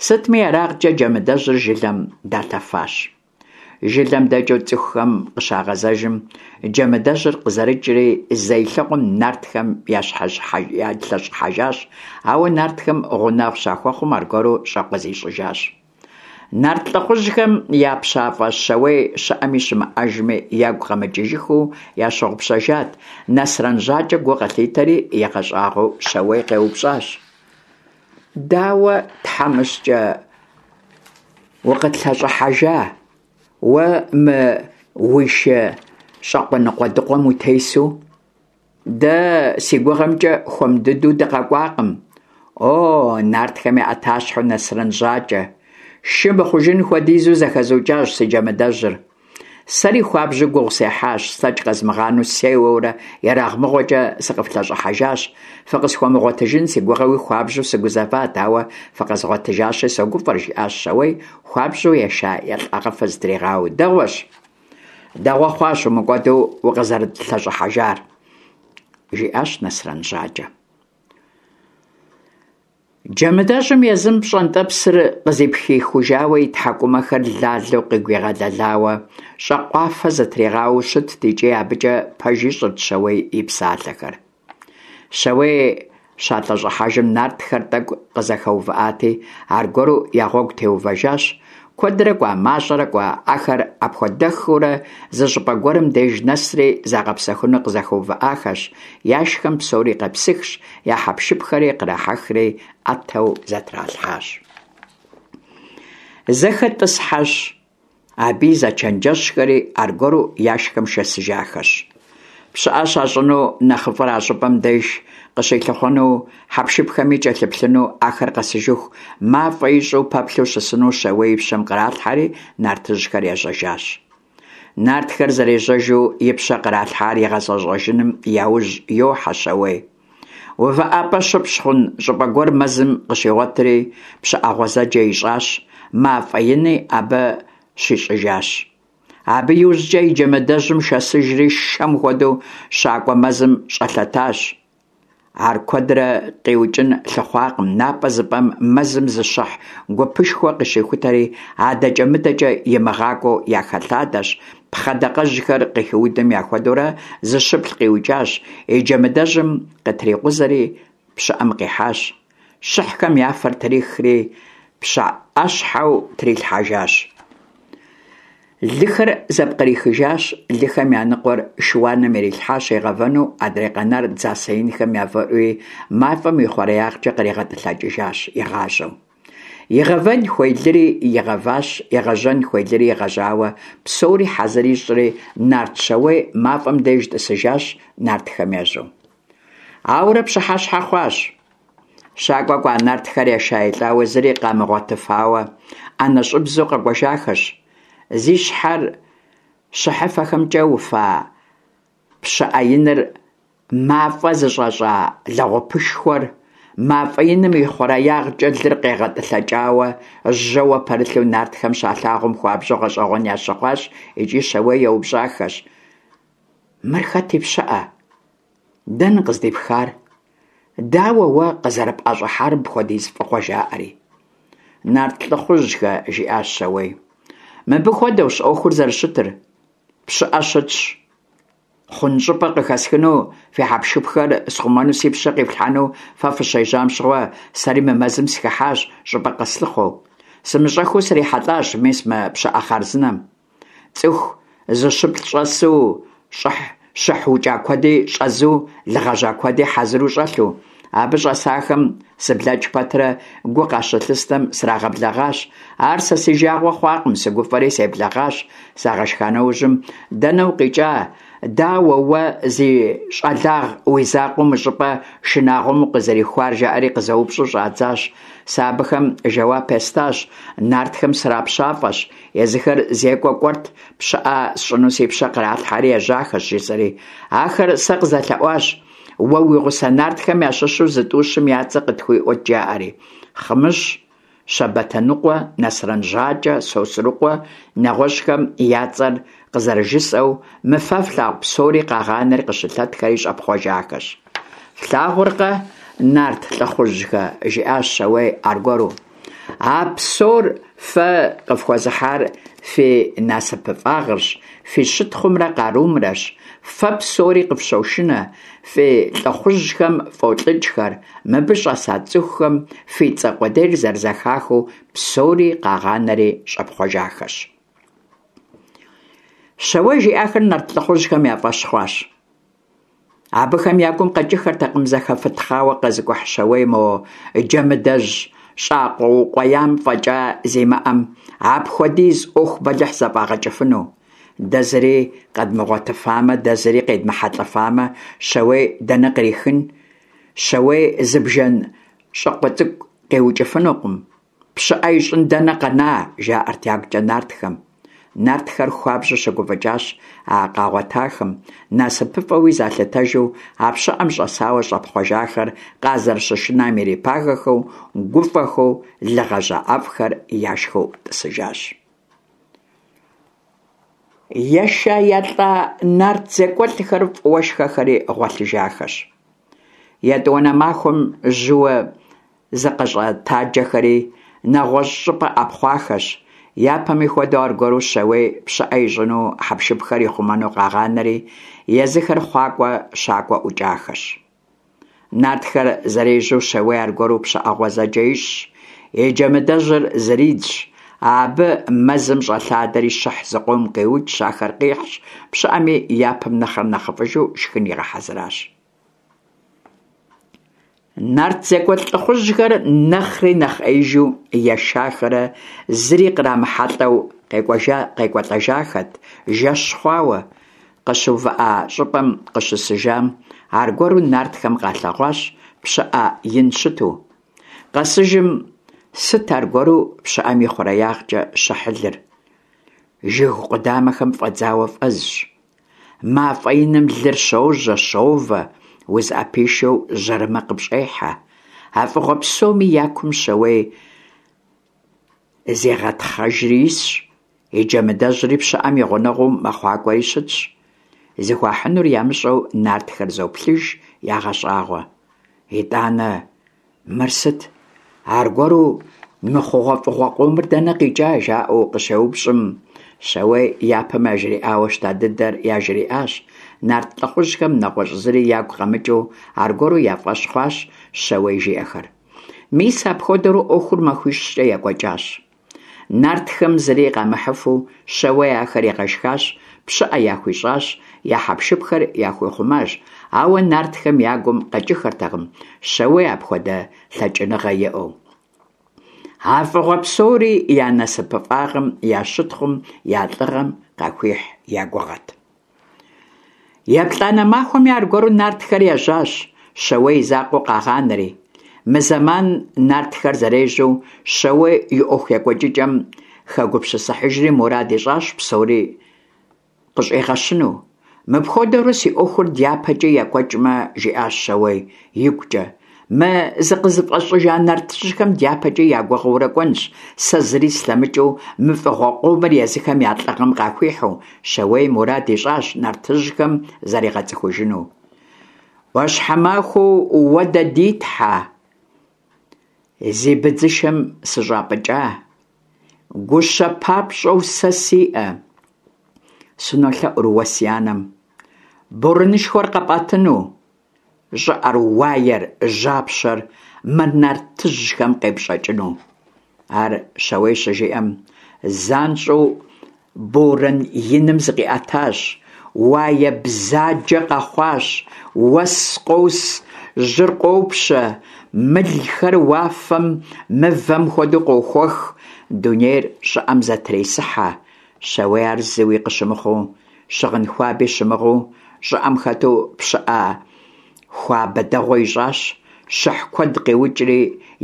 [SPEAKER 1] Сытми, ерагъкӏэ Джэмыдэжьыр жылэм далъэфащ. Жылэм дэкӏыу цӏыхухэм къыщагъэзэжым, Джэмыдэжьыр къызэрыкӏри зэ илъэгъуэм нартхэм ялъэщӏыхьэжащ, ауэ нартхэм гъунэгъу щахуэхъум, аргуэру щӏэкъуэ зищӏыжащ. Нарт лӏыхъужьхэм я пщафӏэ Щэуей щыӏэми щымыӏэжми ягу къэмыкӏыжыххэу ящыгъупщэжат. Насрэн Жьакӏэ гу къылъитэри, игъэщӏагъуэу Щэуей къеупщӏащ: Дауэ, тхьэмыщкӏэ, укъытлъэщӏыхьэжа, уэ мы уи шы щӏакъуэ ныкъуэдыкъуэм утесу? Дэ, си гугъэмкӏэ, хуэм дыдэу дыкъэкӏуакъым. О, нартхэм я ӏэтащхьэу Насрэн Жьакӏэ, шы мыхъужын хуэдизу зэхэзукӏащ си Джэмыдэжьыр. Сэри хуабжьу гугъу сехьащ, слъэкӏ къэзмыгъанэу сеуэурэ ерагъмыгъуэкӏэ сыкъыфлъэщӏыхьэжащ. Фыкъысхуэмыгъуэтыжын си гугъэуи хуабжьу сыгузэват, ауэ фыкъэзгъуэтыжащи согуфӏэр, жиӏащ Щэуей, хуабжьу еша-елӏагъэфэ зытригъауэу. Дэгъуэщ, дэгъуэ хъуащ умыкӏуэду укъызэрытлъэщӏыхьэжар, жиӏащ Насрэн Жьакӏэ. Джэмыдэжьым езым пщӏэнтӏэпсыр къызыпхихужауэ и тхьэкӏумэхэр лалэу къыгуигъэлэлауэ щӏакхъуафэ зытригъауэу щытт икӏи абыкӏэ пэж ищӏырт Щэуей и псалъэхэр. Щэуей щалъэщӏыхьэжым нартхэр тӏэкӏу къызэхэувыӏати, аргуэру я гъуэгу теувэжащ. Куэдрэ кӏуа, мащӏэрэ кӏуа, ахэр апхуэдэххэурэ зы щӏыпӏэ гуэрым деж нэсри загъэпсэхуну къызэхэувыӏахэщ, яшхэм псори къепсыхщ, я хьэпшыпхэри кърахьэхри ӏэтэу зэтралъхьащ. Зэхэтӏысхьэщ, аби зэчэнджэщхэри аргуэру яшхэм шэсыжахэщ. Пщыӏэ щащӏыну нэхъыфӏыр а щӏыпӏэм деж къыщилъыхъуэну, хьэпшыпхэми кӏэлъыплъыну, ахэр къэсыжыху мафӏэ ищӏу пэплъэу щысыну Щэуей и пщэм къралъхьэри нартыжьхэр ежьэжащ. Нартхэр зэрежьэжу и пщэ къралъхьар игъэзэщӏэжыным яужь йохьэ Щэуей. УвыӀэпӀэ щыпщӏ хъун щӏыпӏэ гуэр мэзым къыщигъуэтри, пщыӏэ гъуэзэджэ ищӏащ, мафӏэ ини абы щищӏыжащ. Абы иужькӏэ и джэмыдэжьым шэсыжри шэм хуэдэу щакӏуэ мэзым щӏэлъэтащ. Ар куэдрэ къиукӏын лъыхъуакъым, напӏэ зыпӏэм мэзым зы щыхь гупышхуэ къыщихутэри, адэкӏэ-мыдэкӏэ имыгъакӏуэу яхэлъадэщ, пхъэ дакъэжьхэр къыхиудым яхуэдэурэ зыщыплӏ къиукӏащ, и джэмыдэжьым къытрикъузэри пщыӏэм къихьащ. Щыхьхэм я фэр трихри пщыӏэщхьэу трилъхьэжащ. Лыхэр зэпкърихыжащ, лыхэм я ныкъуэр шыуаным ирилъхьащ игъэвэну, адрей къэнар дзасэ инхэм явэӏури мафӏэм и хъуреягъкӏэ къригъэтӏылъэкӏыжащ игъажьэу. Игъэвэн хуей лыри игъэващ, игъэжьэн хуей лыри игъэжьауэ, псори хьэзыр ищӏри, нарт Щэуей мафӏэм деж тӏысыжащ нартхэм ежьэу. Ауэрэ пщыхьэщхьэ хъуащ. Щакӏуэ кӏуа нартхэр еша-елӏауэ зыри къамыгъуэтыфауэ, ӏэнэщӏыбзэу къэкӏуэжахэщ. Зи щхьэр щыхьыфэхэмкӏэ уфа пщыӏэ иныр, мафӏэ зыщӏэщӏа лэгъупышхуэр, мафӏэ иным и хъуреягъкӏэ лыр къегъэтӏылъэкӏауэ жьэуэ пэрылъу нартхэм щалъагъум хуабжьу гъэщӏэгъуэн ящыхъуащ икӏи Щэуей еупщӏахэщ: Мыр хэт и пщыӏэ? Дэнэ къыздипхар? Дауэ уэ къызэрыпӏэщӏыхьар мыпхуэдиз фӏыгъуэ? жаӏэри. Нарт лӏыхъужьхэ, жиӏащ Щэуей, мыбы хуэдэущ ӏуэхур зэрыщытыр. Пщыӏэ щытщ. Хъун щӏыпӏэ къыхэсхыну, фи хьэпшыпхэр схъумэну си пщэ къифлъхьэну фэ фыщежьам щыгъуэ, сэри мы мэзым сыхыхьащ щӏыпӏэ къэслъыхъуэу. Сымыщӏэххэу срихьэлӏащ мис мы пщыӏэ хъарзынэм. Цӏыху зыщыплӏ щӏэсу, щӏыхь, щыхь укӏа куэди щӏэзу, лы гъэжьа куэди хьэзыру щӏэлъу. Абы щӀэсахэм сыблэкӀ пэтрэ гу къащылъыстэм срагъэблэгъащ. Ар сэ си жагъуэ хъуакъым, сыгуфӀэри себлэгъащ. Сагъэшха нэужьым, дэнэ укъикӀа, дауэ уэ зи щӀалагъ уи закъуэу мы щӀыпӀэ шынагъуэм укъызэрихуар, жаӀэри къызэупщӀу щӀадзащ. Сэ абыхэм жэуап естащ: нартхэм срапщафӀэщ, езыхэр зекӀуэ кӀуэрт, пщыӀэ сщӀыну си пщэ къралъхьэри ежьахэщ, жысӀэри. Ахэр сэ къызэлъэӀуащ: уэ уи гъуса нартхэм ящыщу зытӀущым я цӀэ къытхуиӀуэт, жаӀэри. Хъымыщ, Щабатыныкъуэ, Насрэн ЖьакӀэ, Сосрыкъуэ, нэгъуэщӀхэм я цӀэр къызэрыжысӀэу, мы фэ флъагъу псори къагъанэри къыщылъэтхэри щӀэпхъуэжахэщ. Флъагъуркъэ, нарт лӀыхъужьхэ, жиӀащ Щауей аргуэру, а псор фэ къыфхуэзыхьар фи насыпыфӀагъырщ, фи щытхъумрэ къарумрэщ. Фэ псори къыфщошынэ, фи лӀыхъужьхэм фӀолӀыкӀхэр, мыбы щӀэса цӀыхухэм фи цӀэ къудейр зэрызэхахыу псори къагъанэри щӀэпхъуэжахэщ. Щауей жиӀахэр нарт лӀыхъужьхэм я фӀэщ хъуащ. Абыхэм я гум къэкӀыххэртэкъым зэхэфытхъауэ къэзыкӀухь Щауей мо джэмыдэжь щӀакъуэ укъуеям фӀэкӀа зимыӀэм апхуэдиз Ӏуэху бэлыхь зэфӀагъэкӀыфыну. Дэ зыри къэдмыгъуэтыфамэ, дэ зыри къедмыхьэлӀэфамэ, Щауей дэнэ кърихын? Щауей зы бжэн щӀыкъуэ цӀыкӀу къиукӀыфынукъым, пщыӀэ ищӀын дэнэ къэна, жаӀэрт ягукӀэ нартхэм. Нартхэр хуабжьу щыгуфӀыкӀащ а къагъуэтахэм, насыпыфӀэуи залъытэжу а пщыӀэм щӀэсауэ щӀэпхъуэжахэр къазэрыщышынам ирипагэхэу, гуфӀэхэу, лы гъэжьа ӀэфӀхэр яшхыу тӀысыжащ. Еша-елӀа нарт зекӀуэлӀхэр фӀыуэ шхэхэри гъуэлъыжахэщ. ЕтӀуанэ махуэм жьыуэ зыкъыщӀэтаджэхэри нэгъуэщӀ щӀыпӀэ Ӏэпхъуахэщ. Япэми хуэдэу, аргуэру Щауей пщыӀэ ищӀыну хьэпшыпхэр ихъумэну къагъанэри, езыхэр хъуакӀуэ-щакӀуэ ӀукӀахэщ. Нартхэр зэрежьэу Щауей аргуэру пщыӀэ гъуэзэджэ ищӀщ, и джэмыдэжьыр зридзщ, абы мэзым щӀэлъадэри щыхь зыкъом къиукӀщ, ахэр къихьщ, пщыӀэми япэм нэхърэ нэхъыфӀыжу шхын игъэхьэзыращ. Нарт зекӀуэлӀ лӀыхъужьхэр нэхъри нэхъ Ӏеижу ешахэрэ зыри кърамыхьэлӀэу къекӀуэлӀэжахэт, жэщ хъуауэ. КъыщыувыӀа щӀыпӀэм къыщысыжам, аргуэру нартхэм къалъэгъуащ пщыӀэ ин щыту. Къэсыжым, сыт аргуэру пщыӀэм и хъуреягъкӀэ щыхьылыр? Жыг къудамэхэм фӀэдзауэ фӀэзщ. МафӀэ иным лыр щожьэ, щовэ, узыӀэпишэу жьэрымэ къыпщӀехьэ. А фӀыгъуэ псоми я кум Щауей зегъэтхъэжри исщ, и джэмыдэжьри пщыӀэм и гъунэгъуу мэхъуакӀуэри щытщ. Зыхуахьынур ямыщӀэу нартхэр зоплъыж, ягъэщӀагъуэ. ИтӀанэ, мыр сыт? Аргуэру мы хъугъуэфӀыгъуэ къомыр дэнэ къикӀа? жаӀэу къыщеупщӀым, Щауей япэм яжриӀауэ щыта дыдэр яжриӀащ. Нарт лӀыхъужьхэм нэгъуэщӀ зыри ягу къэмыкӀыу аргуэру я фӀэщ хъуащ Щауей жиӀэхэр. Мис апхуэдэурэ Ӏуэхур махуищкӀэ екӀуэкӀащ. Нартхэм зыри къамыхьыфу Щауей ахэр игъэшхащ, пщыӀэ яхуищӀащ, я хьэпшыпхэр яхуихъумащ, ауэ нартхэм я гум къэкӀыххэртэкъым Щауей апхуэдэ лъэкӀыныгъэ иӀэу. А фӀыгъуэ псори я насыпыфӀагъым, я щытхъум, я лӀыгъэм къахуихь я гугъэт. ЕплӀанэ махуэми аргуэру нартхэр ежьащ, Щауей и закъуэу къагъанэри. Мы зэман нартхэр зэрежьэу Щауей и Ӏуэху екӀуэкӀыкӀэм хэгупсысыхьыжри мурад ищӀащ псори къыщӀигъэщыну. Мыпхуэдэурэ си Ӏуэхур дяпэкӀи екӀуэкӀмэ, жиӀащ Щауей игукӀэ, мы зыкъызыфӀэщӀыжа нартыжьхэм дяпэкӀи я гугъэурэ кӀуэнщ, сэ зыри слъэмыкӀыу мы фӀыгъуэ къомыр езыхэм я лӀыгъэм къахуихьу. Щауей мурад ищӀащ нартыжьхэм заригъэцӀыхужыну. Ӏуащхьэмахуэу уэ дэ ди Тхьэ, зи быдзышэм сыщӀапӀыкӀа, гущэ папщӀэу сэ сиӀэ, сынолъэӀур уэ си анэм, борэнышхуэр къэпӀэтыну, щӀыӀэр, уаер, жьапщэр мы нартыжьхэм къепщӀэкӀыну. Ар Щауей щыжиӀэм, занщӀэу борэн иным зыкъиӀэтащ, Уае бзаджэ къэхъуащ, уэс къос, жьыр къопщэ, мылхэр уафэм мывэм хуэдэу къохуэх, дунейр щӀыӀэм зэтресыхьэ. Щауей ар зыуи къыщымыхъуу, щыгъын хуаби щымыгъыу, щӀыӀэм хэту пщыӀэ хуабэ дэгъуэ ищӀащ, щыхь куэд къиукӀри,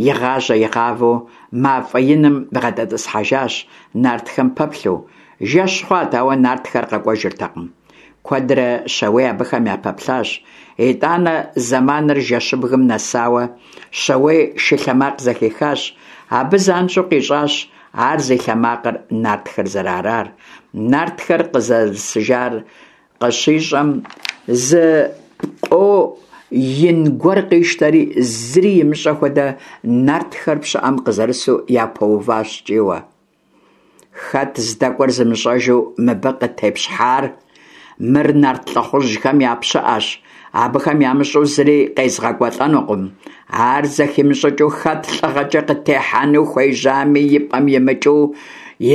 [SPEAKER 1] игъажьэ-игъавэу мафӀэ иным бгъэдэтӀысхьэжащ, нартхэм пэплъэу. Жэщ хъуат, ауэ нартхэр къэкӀуэжыртэкъым. Куэдрэ Щауей абыхэм япэплъащ. ИтӀанэ, зэманыр жэщыбгым нэсауэ, Щауей шы лъэ макъ зэхихащ. Абы занщӀэу къищӀащ ар зи лъэ макъыр нартхэр зэрыарар. Нартхэр къызэрысыжар къыщищӀэм, зы пкъо ин гуэр къищтэри, зыри имыщӀэ хуэдэ, нартхэр пщыӀэм къызэрысу япэуващ кӀийуэ: «Хэт здэкӀуэр зымыщӀэжу мыбы къытепщхьар? Мыр нарт лӀыхъужьхэм я пщыӀэщ, абыхэм ямыщӀэу зыри къезгъэкӀуэлӀэнукъым. Ар зэхимыщӀыкӀыу хэт лӀыгъэкӀэ къытехьэну хуежьами, и пӀэм имыкӀыу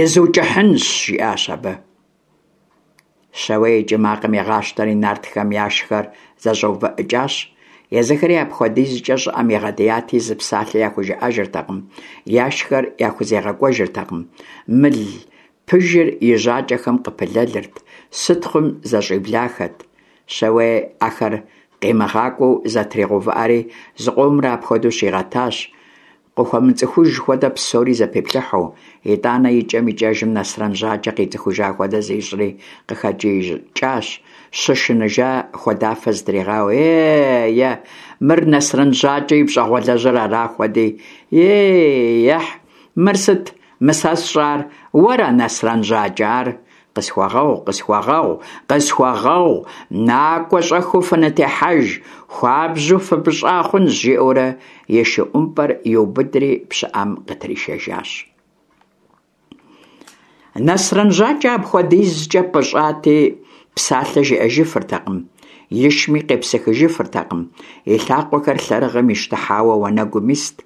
[SPEAKER 1] изукӀыхьынщ», – жиӀащ абы. Щауей и кӀий макъым игъащтэри нартхэм яшхэр зэщӀэувыӀыкӀащ. Езыхэри апхуэдизкӀэ щӀыӀэм игъэдияти, зы псалъэ яхужыӀэжыртэкъым, яшхэр яхузегъэкӀуэжыртэкъым. Мыл пыжыр и жьакӀэхэм къыпылэлырт, сытхъум зэщӀиблахэт. Щауей ахэр къимыгъакӀуэу зэтригъэувыӀэри зыкъомрэ апхуэдэу щигъэтащ, къыхуэмыцӀыхуж хуэдэ псори зэпиплъыхьу. ИтӀанэ икӀэм-икӀэжым Нэсрэн ЖьакӀэ къицӀыхужа хуэдэ зищӀри къыхэкӀиикӀащ, щышыныжа хуэдафэ зытригъауэу: «Е-е, мыр Нэсрэн ЖьакӀэ и пщӀэгъуалэжьыр ара хуэди! Ей-ехь, мыр сыт мы сэ сщӀар? Уэра, Нэсрэн ЖьакӀэ, ар? Къысхуэгъэгъу, къысхуэгъэгъу, къысхуэгъэгъу, накӀуэ щӀэхыу фынытехьэж, хуабжьу фыпӀыщӀа хъунщ», – жиӀэурэ и шы ӀумпӀэр иубыдри пщыӀэм къытришэжащ. Нэсрэн ЖьакӀэ апхуэдизкӀэ пӀыщӀати, псалъэ жиӀэжыфыртэкъым, ишми къепсыхыжыфыртэкъым, и лъакъуэхэр лъэрыгъым ищтыхьауэ уанэгум ист.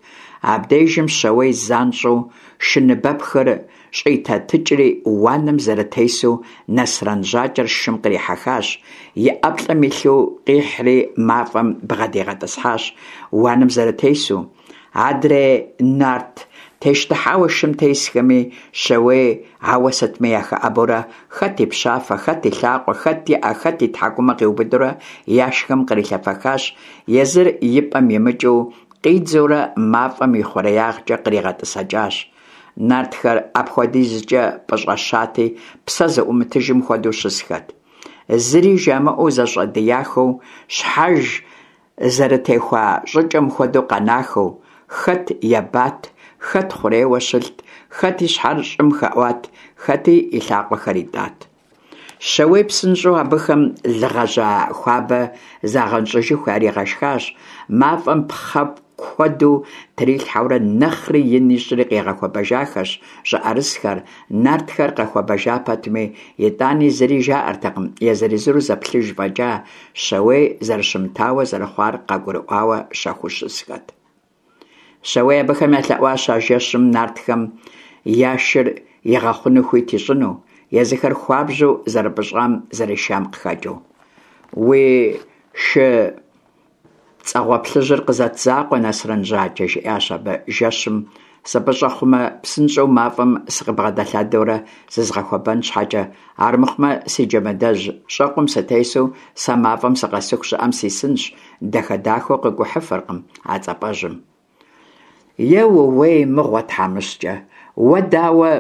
[SPEAKER 1] Абдежым Щауей занщӀэу шыныбэпхыр щӀилъэтыкӀри, уанэм зэрытесу Нэсрэн ЖьакӀэр шым кърихьэхащ, и ӀэплӀэм илъу къихьри мафӀэм бгъэдигъэтӀысхьащ уанэм зэрытесу. Адрей нарт тещтыхьауэ шым тесхэми Щауей ауэ сытми яхэӀэбэурэ хэт и пщафэ, хэт и лъакъуэ, хэт и Ӏэ, хэт и тхьэкӀумэ къиубыдурэ яшхэм кърилъэфэхащ, езыр и пӀэм имыкӀыу къидзэурэ мафӀэм и хъуреягъкӀэ къригъэтӀысэкӀащ. Нартхэр апхуэдизкӀэ пӀыщӀэщати, псэ зыӀумытыжым хуэдэу щысхэт. Зыри жамыӀэу зэщӀэдияхэу, щхьэж зэрытехуа щӀыкӀэм хуэдэу къэнахэу, хэт ебат, хэт хъурейуэ щылът, хэт и щхьэр щӀым хэӀуат, хэти и лъакъуэхэр итӀат. Щауей псынщӀэу абыхэм лы гъэжьа хуабэ загъэнщӀыжыху яригъэшхащ, мафӀэм пхъэ куэду трилъхьэурэ нэхъри ин ищӀри къигъэхуэбэжахэщ щӀыӀэрысхэр. Нартхэр къэхуэбэжа пэтми, итӀани зыри жаӀэртэкъым, езыр-езыру зэплъыж фӀэкӀа, Щауей зэрыщымытауэ зэрыхъуар къагурыӀуауэ щэхуу щысхэт. Щауей абыхэм ялъэӀуащ а жэщым нартхэм я шыр игъэхъуну хуит ищӀыну, езыхэр хуабжьу зэрыпӀыщӀам зэрешам къыхэкӀыу. «Уи шы пцӀэгъуэплъыжьыр къызэт закъуэ, Нэсрэн ЖьакӀэ, – жиӀащ абы, – жэщым сыпӀыщӀэ хъумэ, псынщӀэу мафӀэм сыкъыбгъэдэлъадэурэ зызгъэхуэбэн щхьэкӀэ, армыхъумэ си джэмыдэжь щӀэкъум сытесу сэ мафӀэм сыкъэсыху щӀыӀэм сисынщ, дахэ-дахэу къикӀухьыфыркъым а цӀапӀэжьым». «Е ууей мыгъуэ, тхьэмыщкӀэ, уэ дауэ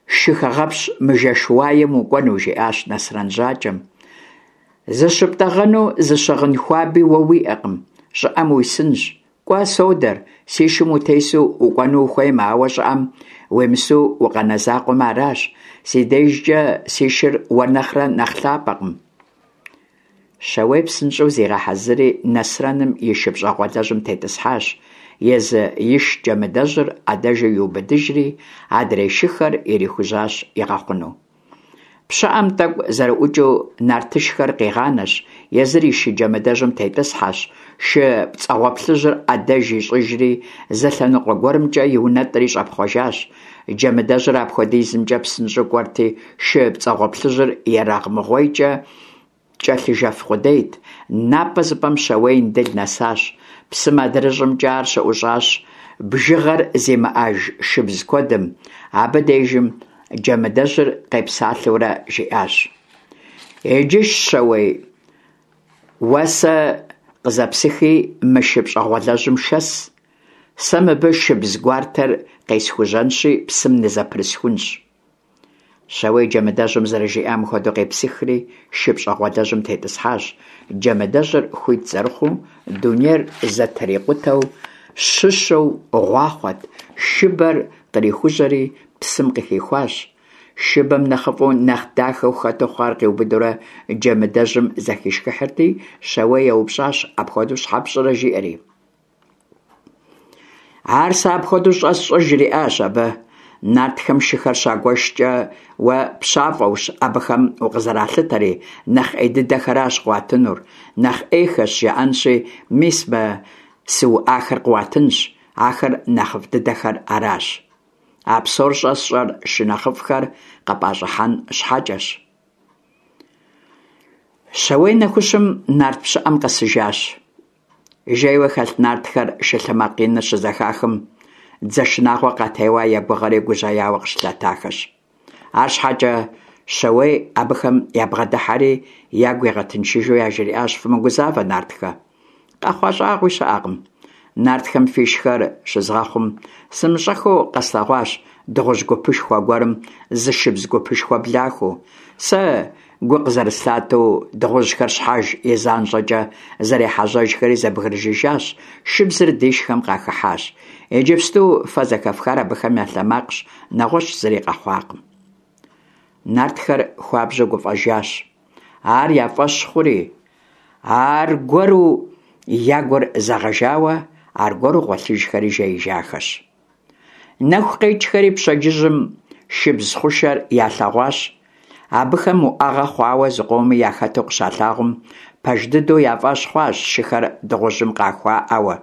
[SPEAKER 1] шыхэгъэпщ мы жэщ уаем укӀуэну? – жиӀащ Нэсрэн ЖьакӀэм. – ЗыщыптӀэгъэну зы щыгъын хуаби уэ уиӀэкъым, щӀыӀэм уисынщ. КӀуэ, содэр, си шым утесу укӀуэну ухуеймэ, ауэ щӀыӀэм уимысу укъэнэ закъуэмэ аращ. Си дежкӀэ си шыр уэр нэхърэ нэхъ лъапӀэкъым». Щауей псынщӀэу зигъэхьэзырри Нэсрэным и шы пщӀэгъуалэжьым тетӀысхьащ, езы иш джэмыдэжьыр Ӏэдэжу иубыдыжри, адрей шыхэр ирихужьащ игъэхъуну. Пщыӏэм тӏэкӏу зэрыӏукӏыу нартышхэр къигъанэщ, езыр и шы джэмыдэжьым тетӏысхьэщ, шы пцӏэгъуэплъыжьыр ӏэдэж ищӏыжри, зы лъэныкъуэ гуэрымкӏэ иунэтӏри щӏэпхъуэжащ. Джэмыдэжьыр апхуэдизымкӏэ псынщӏэу кӏуэрти, шы пцӏэгъуэплъыжьыр ерагъмыгъуейкӏэ кӏэлъыжэф къудейт. Напӏэ зыпӏэм Щауей Индыл нэсащ. Псым адрыщӏымкӏэ ар щыӏущӏащ бжыгъэр зимыӏэж шыбз куэдым. Абы дежым Джэмыдэжьыр къепсалъэурэ жиӏащ: Иджы, Щауей, уэ сэ къызэпсыхи мы шы пщӏэгъуэлэжьым шэс, сэ мыбы шыбз гуартэр къесхужьэнщи псым нызэпрысхунщ. Щауей Джэмыдэжьым зэрыжиӏам хуэдэу къепсыхри шы пщӏэгъуэлэжьым тетӏысхьащ. Джэмыдэжьыр хуит зэрыхъуу, дунейр зэтрикъутэу щыщэу гъуахъуэт, шыбэр кърихужьэри псым къыхихуащ. Шыбэм нэхъыфӏу, нэхъ дахэу хэту хъуар къиубыдурэ Джэмыдэжьым зэхишхыхьырти, Щауей еупщӏащ: «Апхуэдэу щхьэ пщӏырэ?» – жиӏэри. «Ар сэ апхуэдэу щӏэсщӏыр, – жриӏащ абы, – нартхэм шыхэр щагуэшкӏэ уэ пщафӏэущ абыхэм укъызэралъытэри, нэхъ ӏей дыдэхэращ къыуатынур, нэхъ ӏейхэщ жаӏэнщи, мис мы сыуӏахэр къыуатынщ, ахэр нэхъыфӏ дыдэхэр аращ. А псор щӏэсщӏэр шы нэхъыфӏхэр къыпӏэщӏыхьэн щхьэкӏэщ». Щауей нэхущым нарт пщыӏэм къэсыжащ. Жейуэ хэлъ нартхэр шы лъэ макъ иныр щызэхахым, дзэ шынагъуэ къатеуа я гугъэри гужьеяуэ къыщылъэтахэщ. Арщхьэкӏэ Щауей абыхэм ябгъэдыхьэри ягу игъэтыншыжу яжриӏащ: «Фымыгузавэ, нартхэ, къэхъуа щӏагъуи щыӏэкъым. Нартхэм фишхэр щызгъэхъум, сымыщӏэххэу къэслъэгъуащ дыгъужь гупышхуэ гуэрым зы шыбз гупышхуэ блахыу. Сэ гу къызэрыслъатэу, дыгъужьхэр щхьэж и занщӏэкӏэ зэрехьэжьэжхэри зэбгрыжыжащ, шыбзыр дишхэм къахыхьащ. Иджыпсту фэ зэхэфхар абыхэм я лъэ макъщ, нэгъуэщӏ зыри къэхъуакъым». Нартхэр хуабжьу гуфӏэжащ. Ар я фӏэщ хъури, аргуэру я гур зэгъэжауэ, аргуэру гъуэлъыжхэри жеижахэщ. Нэху къекӏхэри пщэдджыжьым шыбз хъушэр ялъэгъуащ. Абыхэм уӏэгъэ хъуауэ зыкъоми яхэту къыщалъагъум, пэж дыдэу я фӏэщ хъуащ шыхэр дыгъужьым къахуаӏауэ,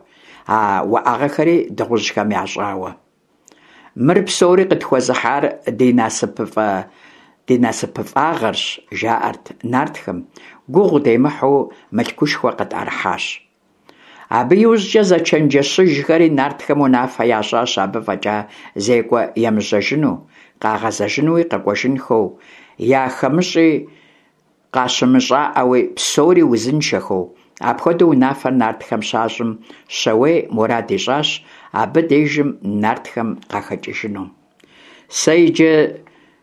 [SPEAKER 1] а уӏэгъэхэри дыгъужьхэм ящӏауэ. «Мыр псори къытхуэзыхьар ди насыпыфӏэ ди насыпыфӏагъэрщ, – жаӏэрт нартхэм, – гугъу демыхьу мылъкушхуэ къытӏэрыхьащ». Абы иужькӏэ зэчэнджэщыжхэри нартхэм унафэ ящӏащ абы фӏэкӏа зекӏуэ емыжьэжыну, къагъэзэжынуи къэкӏуэжынхэу, яхэмыщӏи къащымыщӏаӏэуи, псори узыншэхэу. Апхуэдэу унафэр нартхэм щащӏым, Щауей мурад ищӏащ абы дежым нартхэм къахэкӏыжыну. «Сэ иджы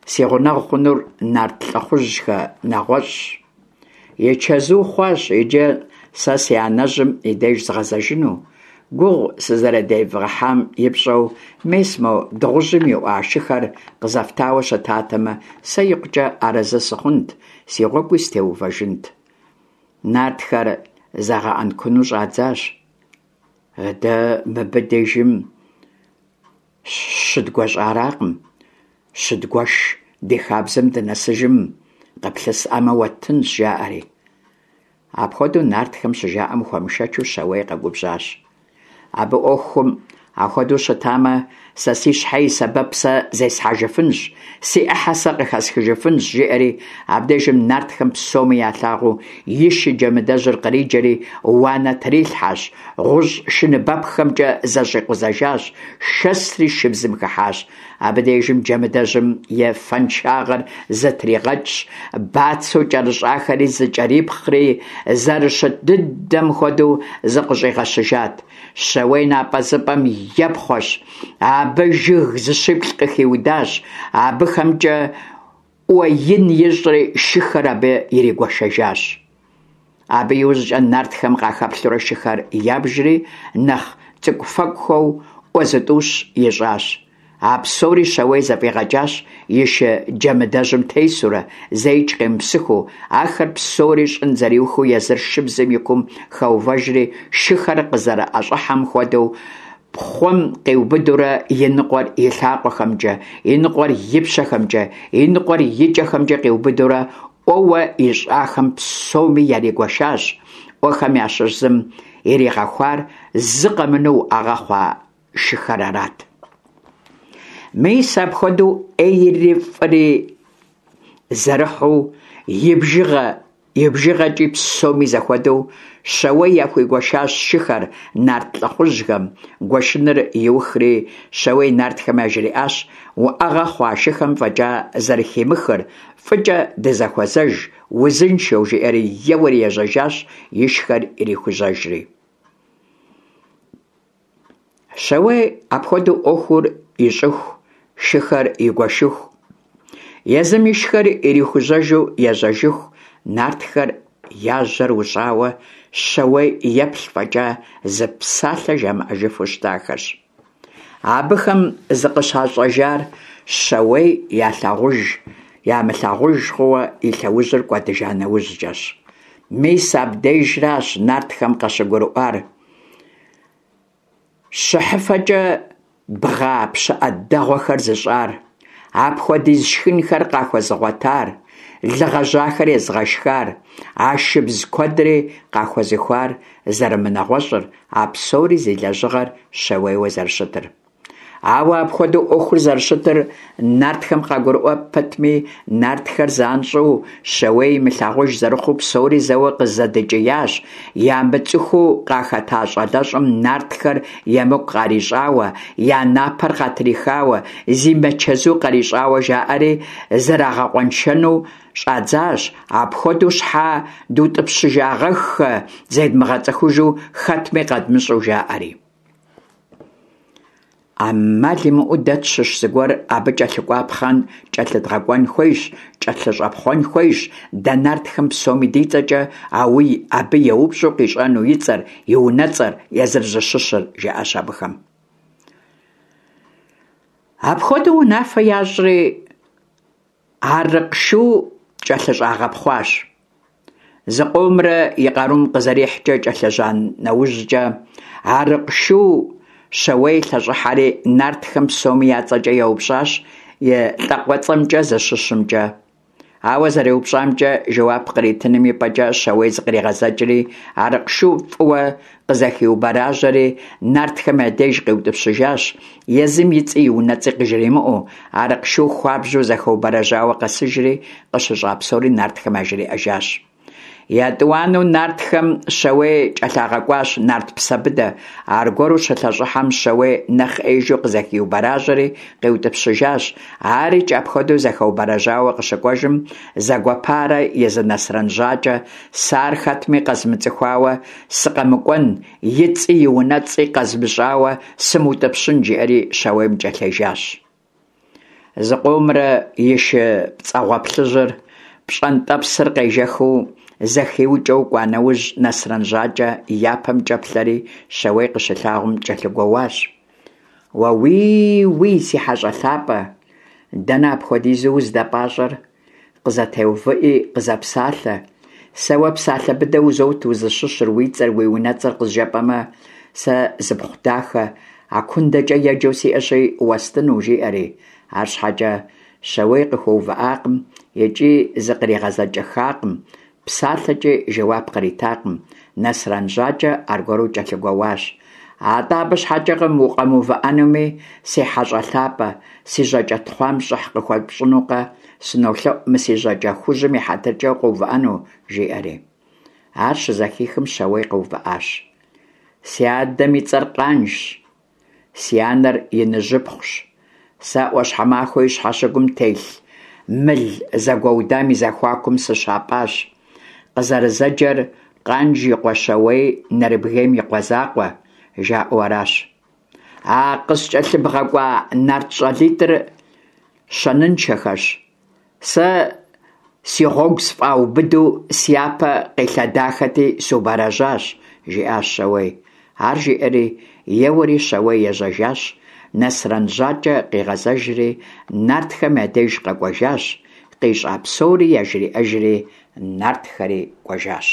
[SPEAKER 1] си гъунэгъу хъунур нарт лӏыхъужьхэ нэгъуэщӏщ. И чэзу хъуащ иджы сэ си анэжьым и деж згъэзэжыну. Гугъу сызэрыдевгъэхьам и пщӏэу, мес мо дыгъужьым иӏуа шыхэр къызэфтауэ щытатэмэ, сэ икъукӏэ арэзы сыхъунт, си гъуэгуи сытеувэжынт». Нартхэр загъэӏэнкуну щӏадзащ. «Дэ мыбы дежым щыдгуэщӏаракъым, щыдгуэш ди хабзэм дынэсыжым къыплъысӏамэ уэттынщ», – жаӏэри. Апхуэдэу нартхэм щыжаӏэм, хуэмышэчу Щауей къэгубжьащ. Абы ӏуэхум апхуэдэу щытамэ, сэ си щхьэ и сэбэп сэ зесхьэжыфынщ, си ӏыхьэ сэ къыхэсхыжыфынщ, жиӏэри абдежым нартхэм псоми ялъагъуу и шы джэмыдэжьыр къриджэри уанэ трилъхьэщ, гъущӏ шыныбэпххэмкӏэ зэщӏикъузэжащ, шэсри шыбзым хыхьащ. Абы дежым джэмыдэжьым и фэншагъэр зытригъэкӏщ, бацэу кӏэрыщӏахэри зыкӏэрипхъри, зэрыщыт дыдэм хуэдэу зыкъыщӏигъэщыжат. Щауей напӏэзыпӏэм епхъуэщ, абы жыг зыщиплӏ къыхиудащ, абыхэмкӏэ ӏуэ ин ищӏри шыхэр абы иригуэшэжащ. Абы иужькӏэ нартхэм къахэплъурэ шыхэр ябжри, нэхъ цӏыкӏуфэкӏухэу ӏуэ зытӏущ ищӏащ. А псори Щауей зэфӏигъэкӏащ и шы джэмыдэжьым тесурэ, зэикӏ къемыпсыхыу, ахэр псори щӏын зэриухыу езыр шыбзым и кум хэувэжри, шыхэр къызэрыӏэщӏыхьэм хуэдэу пхъуэм къиубыдурэ и ныкъуэр и лъакъуэхэмкӀэ, и ныкъуэр и пщэхэмкӀэ, и ныкъуэр и кӀэхэмкӀэ къиубыдурэ Ӏуэуэ ищӀахэм псоми яригуэшащ. Ӏуэхэм ящыщ зым иригъэхуар зы къэмынэу уӀэгъэ хъуа шыхэр арат. Мис апхуэдэу Ӏейри фӀыри зэрыхьу и бжыгъэ и бжыгъэкӀи псоми зэхуэдэу Щауей яхуигуэшащ шыхэр нарт лӀыхъужьхэм. Гуэшыныр иухри, Щауей нартхэм яжриӀащ уӀэгъэ хъуа шыхэм фӀэкӀа зэрыхимыхыр, фӀыкӀэ дызэхуэзэж, узыншэу, жиӀэри еуэри ежьэжащ, ишхэр ирихужьэжри. Щауей апхуэдэу Ӏуэхур ищӀыху, шыхэр игуэшыху, езым ишхэр ирихужьэжу ежьэжыху, нартхэр я жьэр ущӀауэ Щауей еплъ фӀэкӀа, зы псалъэ жамыӀэжыфу щытахэщ. Абыхэм зыкъыщащӀэжар Щауей ялъагъуж ямылъагъуж хъууэ и лъэужьыр кӀуэдыжа нэужькӀэщ. Мис абдежращ нартхэм къащыгурыӀуар щыхьыфэкӀэ бгъа пщыӀэ дэгъуэхэр зыщӀар, апхуэдиз шхынхэр къахуэзыгъуэтар, лы гъэжьахэр езыгъэшхар, а шыбз куэдри къахуэзыхуар зэрымынэгъуэщӀыр, а псори зи лэжьыгъэр Щауейуэ зэрыщытыр. Ауэ апхуэдэу Ӏуэхур зэрыщытыр нартхэм къагурыӀуэ пэтми, нартхэр занщӀэу Щауей имылъагъуж зэрыхъуу псори зэуэ къызэдэкӀиящ, ямыцӀыхуу къахэта щӀалэщӀэм нартхэр емыкӀу къарищӀауэ, я напэр къатрихауэ, зимычэзу къарищӀауэ жаӀэри зэрагъэкъуэншэну щӀадзащ, апхуэдэу щхьэ дутӀыпщыжагъэххэ, зедмыгъэцӀыхужу, хэтми къэдмыщӀэу, жаӀэри. Ӏэмал имыӀэу дэ тщыщ зыгуэр абы кӀэлъыкӀуапхъэм кӀэлъыдгъэкӀуэн хуейщ, кӀэлъыщӀэпхъуэн хуейщ, дэ нартхэм псоми ди цӀэкӀэ абы еупщӀу къищӀэну и цӀэр, и унэцӀэр, езыр зыщыщыр, жаӀащ абыхэм. Апхуэдэу унафэ ящӀри, Арыкъ шу кӀэлъыщӀагъэпхъуащ. Зыкъомрэ и къарум къызэрихькӀэ кӀэлъыжьа нэужькӀэ, Арыкъ шу Щауей лъэщӀыхьэри нартхэм псоми я цӀэкӀэ еупщӀащ и лӀакъуэцӀэмкӀэ, зыщыщымкӀэ. Ауэ зэреупщӀамкӀэ жэуап къритыным и пӀэкӀэ Щауей зыкъригъэзэкӀри, Арыкъ шу фӀыуэ къызэхиубэрэжьэри нартхэм я деж къиутӀыпщыжащ, езым и цӀи и унэцӀи къыжримыӀэу. Арыкъ шу хуабжьу зэхэубэрэжьауэ къэсыжри, къыщыщӀа псори нартхэм яжриӀэжащ. ЕтӀуанэу нартхэм Щауей кӀэлъагъэкӀуащ нарт Псэбыдэ. Аргуэру щылъэщӀыхьэм, Щауей нэхъ Ӏеижу къызэхиубэрэжьэри къиутӀыпщыжащ. АрикӀ апхуэдэу зэхэубэрэжьауэ къыщыкӀуэжым, зэгуэпарэ езы Нэсрэн ЖьакӀэ «Сэ ар хэтми къэзмыцӀыхуауэ сыкъэмыкӀуэн, и цӀи и унэцӀи къэзмыщӀауэ сымыутӀыпщын», жиӀэри Щауейм кӀэлъежащ. Зыкъомрэ и шы пцӀэгъуэплъыжьыр пщӀэнтӀэпсыр къежэхыу зэхиукӀэу кӀуа нэужь, Нэсрэн ЖьакӀэ япэмкӀэ плъэри Щауей къыщилъагъум кӀэлъыгуоуащ: «Уэ уии-уий, си хьэщӀэ лъапӀэ, дэнэ апхуэдизу уздэпӀащӀэр? КъызэтеувыӀи къызэпсалъэ. Сэ уэ псалъэ быдэ узот узыщыщыр, уи цӀэр, уи унэцӀэр къызжепӀэмэ, сэ зыпхъу дахэ АкундэкӀэ еджэу сиӀэщи уэстыну», жиӀэри. АрщхьэкӀэ Щауей къыхуэувыӀакъым икӀи зыкъригъэзэкӀыххакъым, псалъэкӀи жэуап къритакъым. Нэсрэн ЖьакӀэ аргуэру кӀэлъыгуоуащ: «АтӀэ абы щхьэкӀэ укъэмыувыӀэнуми, си хьэщӀэ лъапӀэ, си жьакӀэ тхъуам щӀыхь къыхуэпщӀынукъэ, сынолъэӀу мы си жьакӀэ хужьым и хьэтыркӀэ укъэувыӀэну», жиӀэри. Ар щызэхихым, Щауей къэувыӀащ. «Си адэм и цӀэр Къанжщ, си анэр Иныжьыпхъущ. Сэ Ӏуащхьэмахуэ и щхьэщыгум телъ мыл зэгуэудам и зэхуакум сыщапӀащ. Къызэрызэджэр Къанж и къуэ Щауей Нэрыбгейм и къуэ закъуэ, жаӀэу аращ. А къыскӀэлъыбгъэкӀуа нарт щӀалитӀыр щэныншэхэщ. Сэ си гъуэгу сфӀаубыду сяпэ къилъэдахэти, сыубэрэжьащ», жиӀащ Щауей. Ар жиӀэри, еуэри Щауей ежьэжащ. Нэсрэн ЖьакӀэ къигъэзэжри нартхэм я деж къэкӀуэжащ, къищӀа псори яжриӀэжри, нартхэри кӀуэжащ.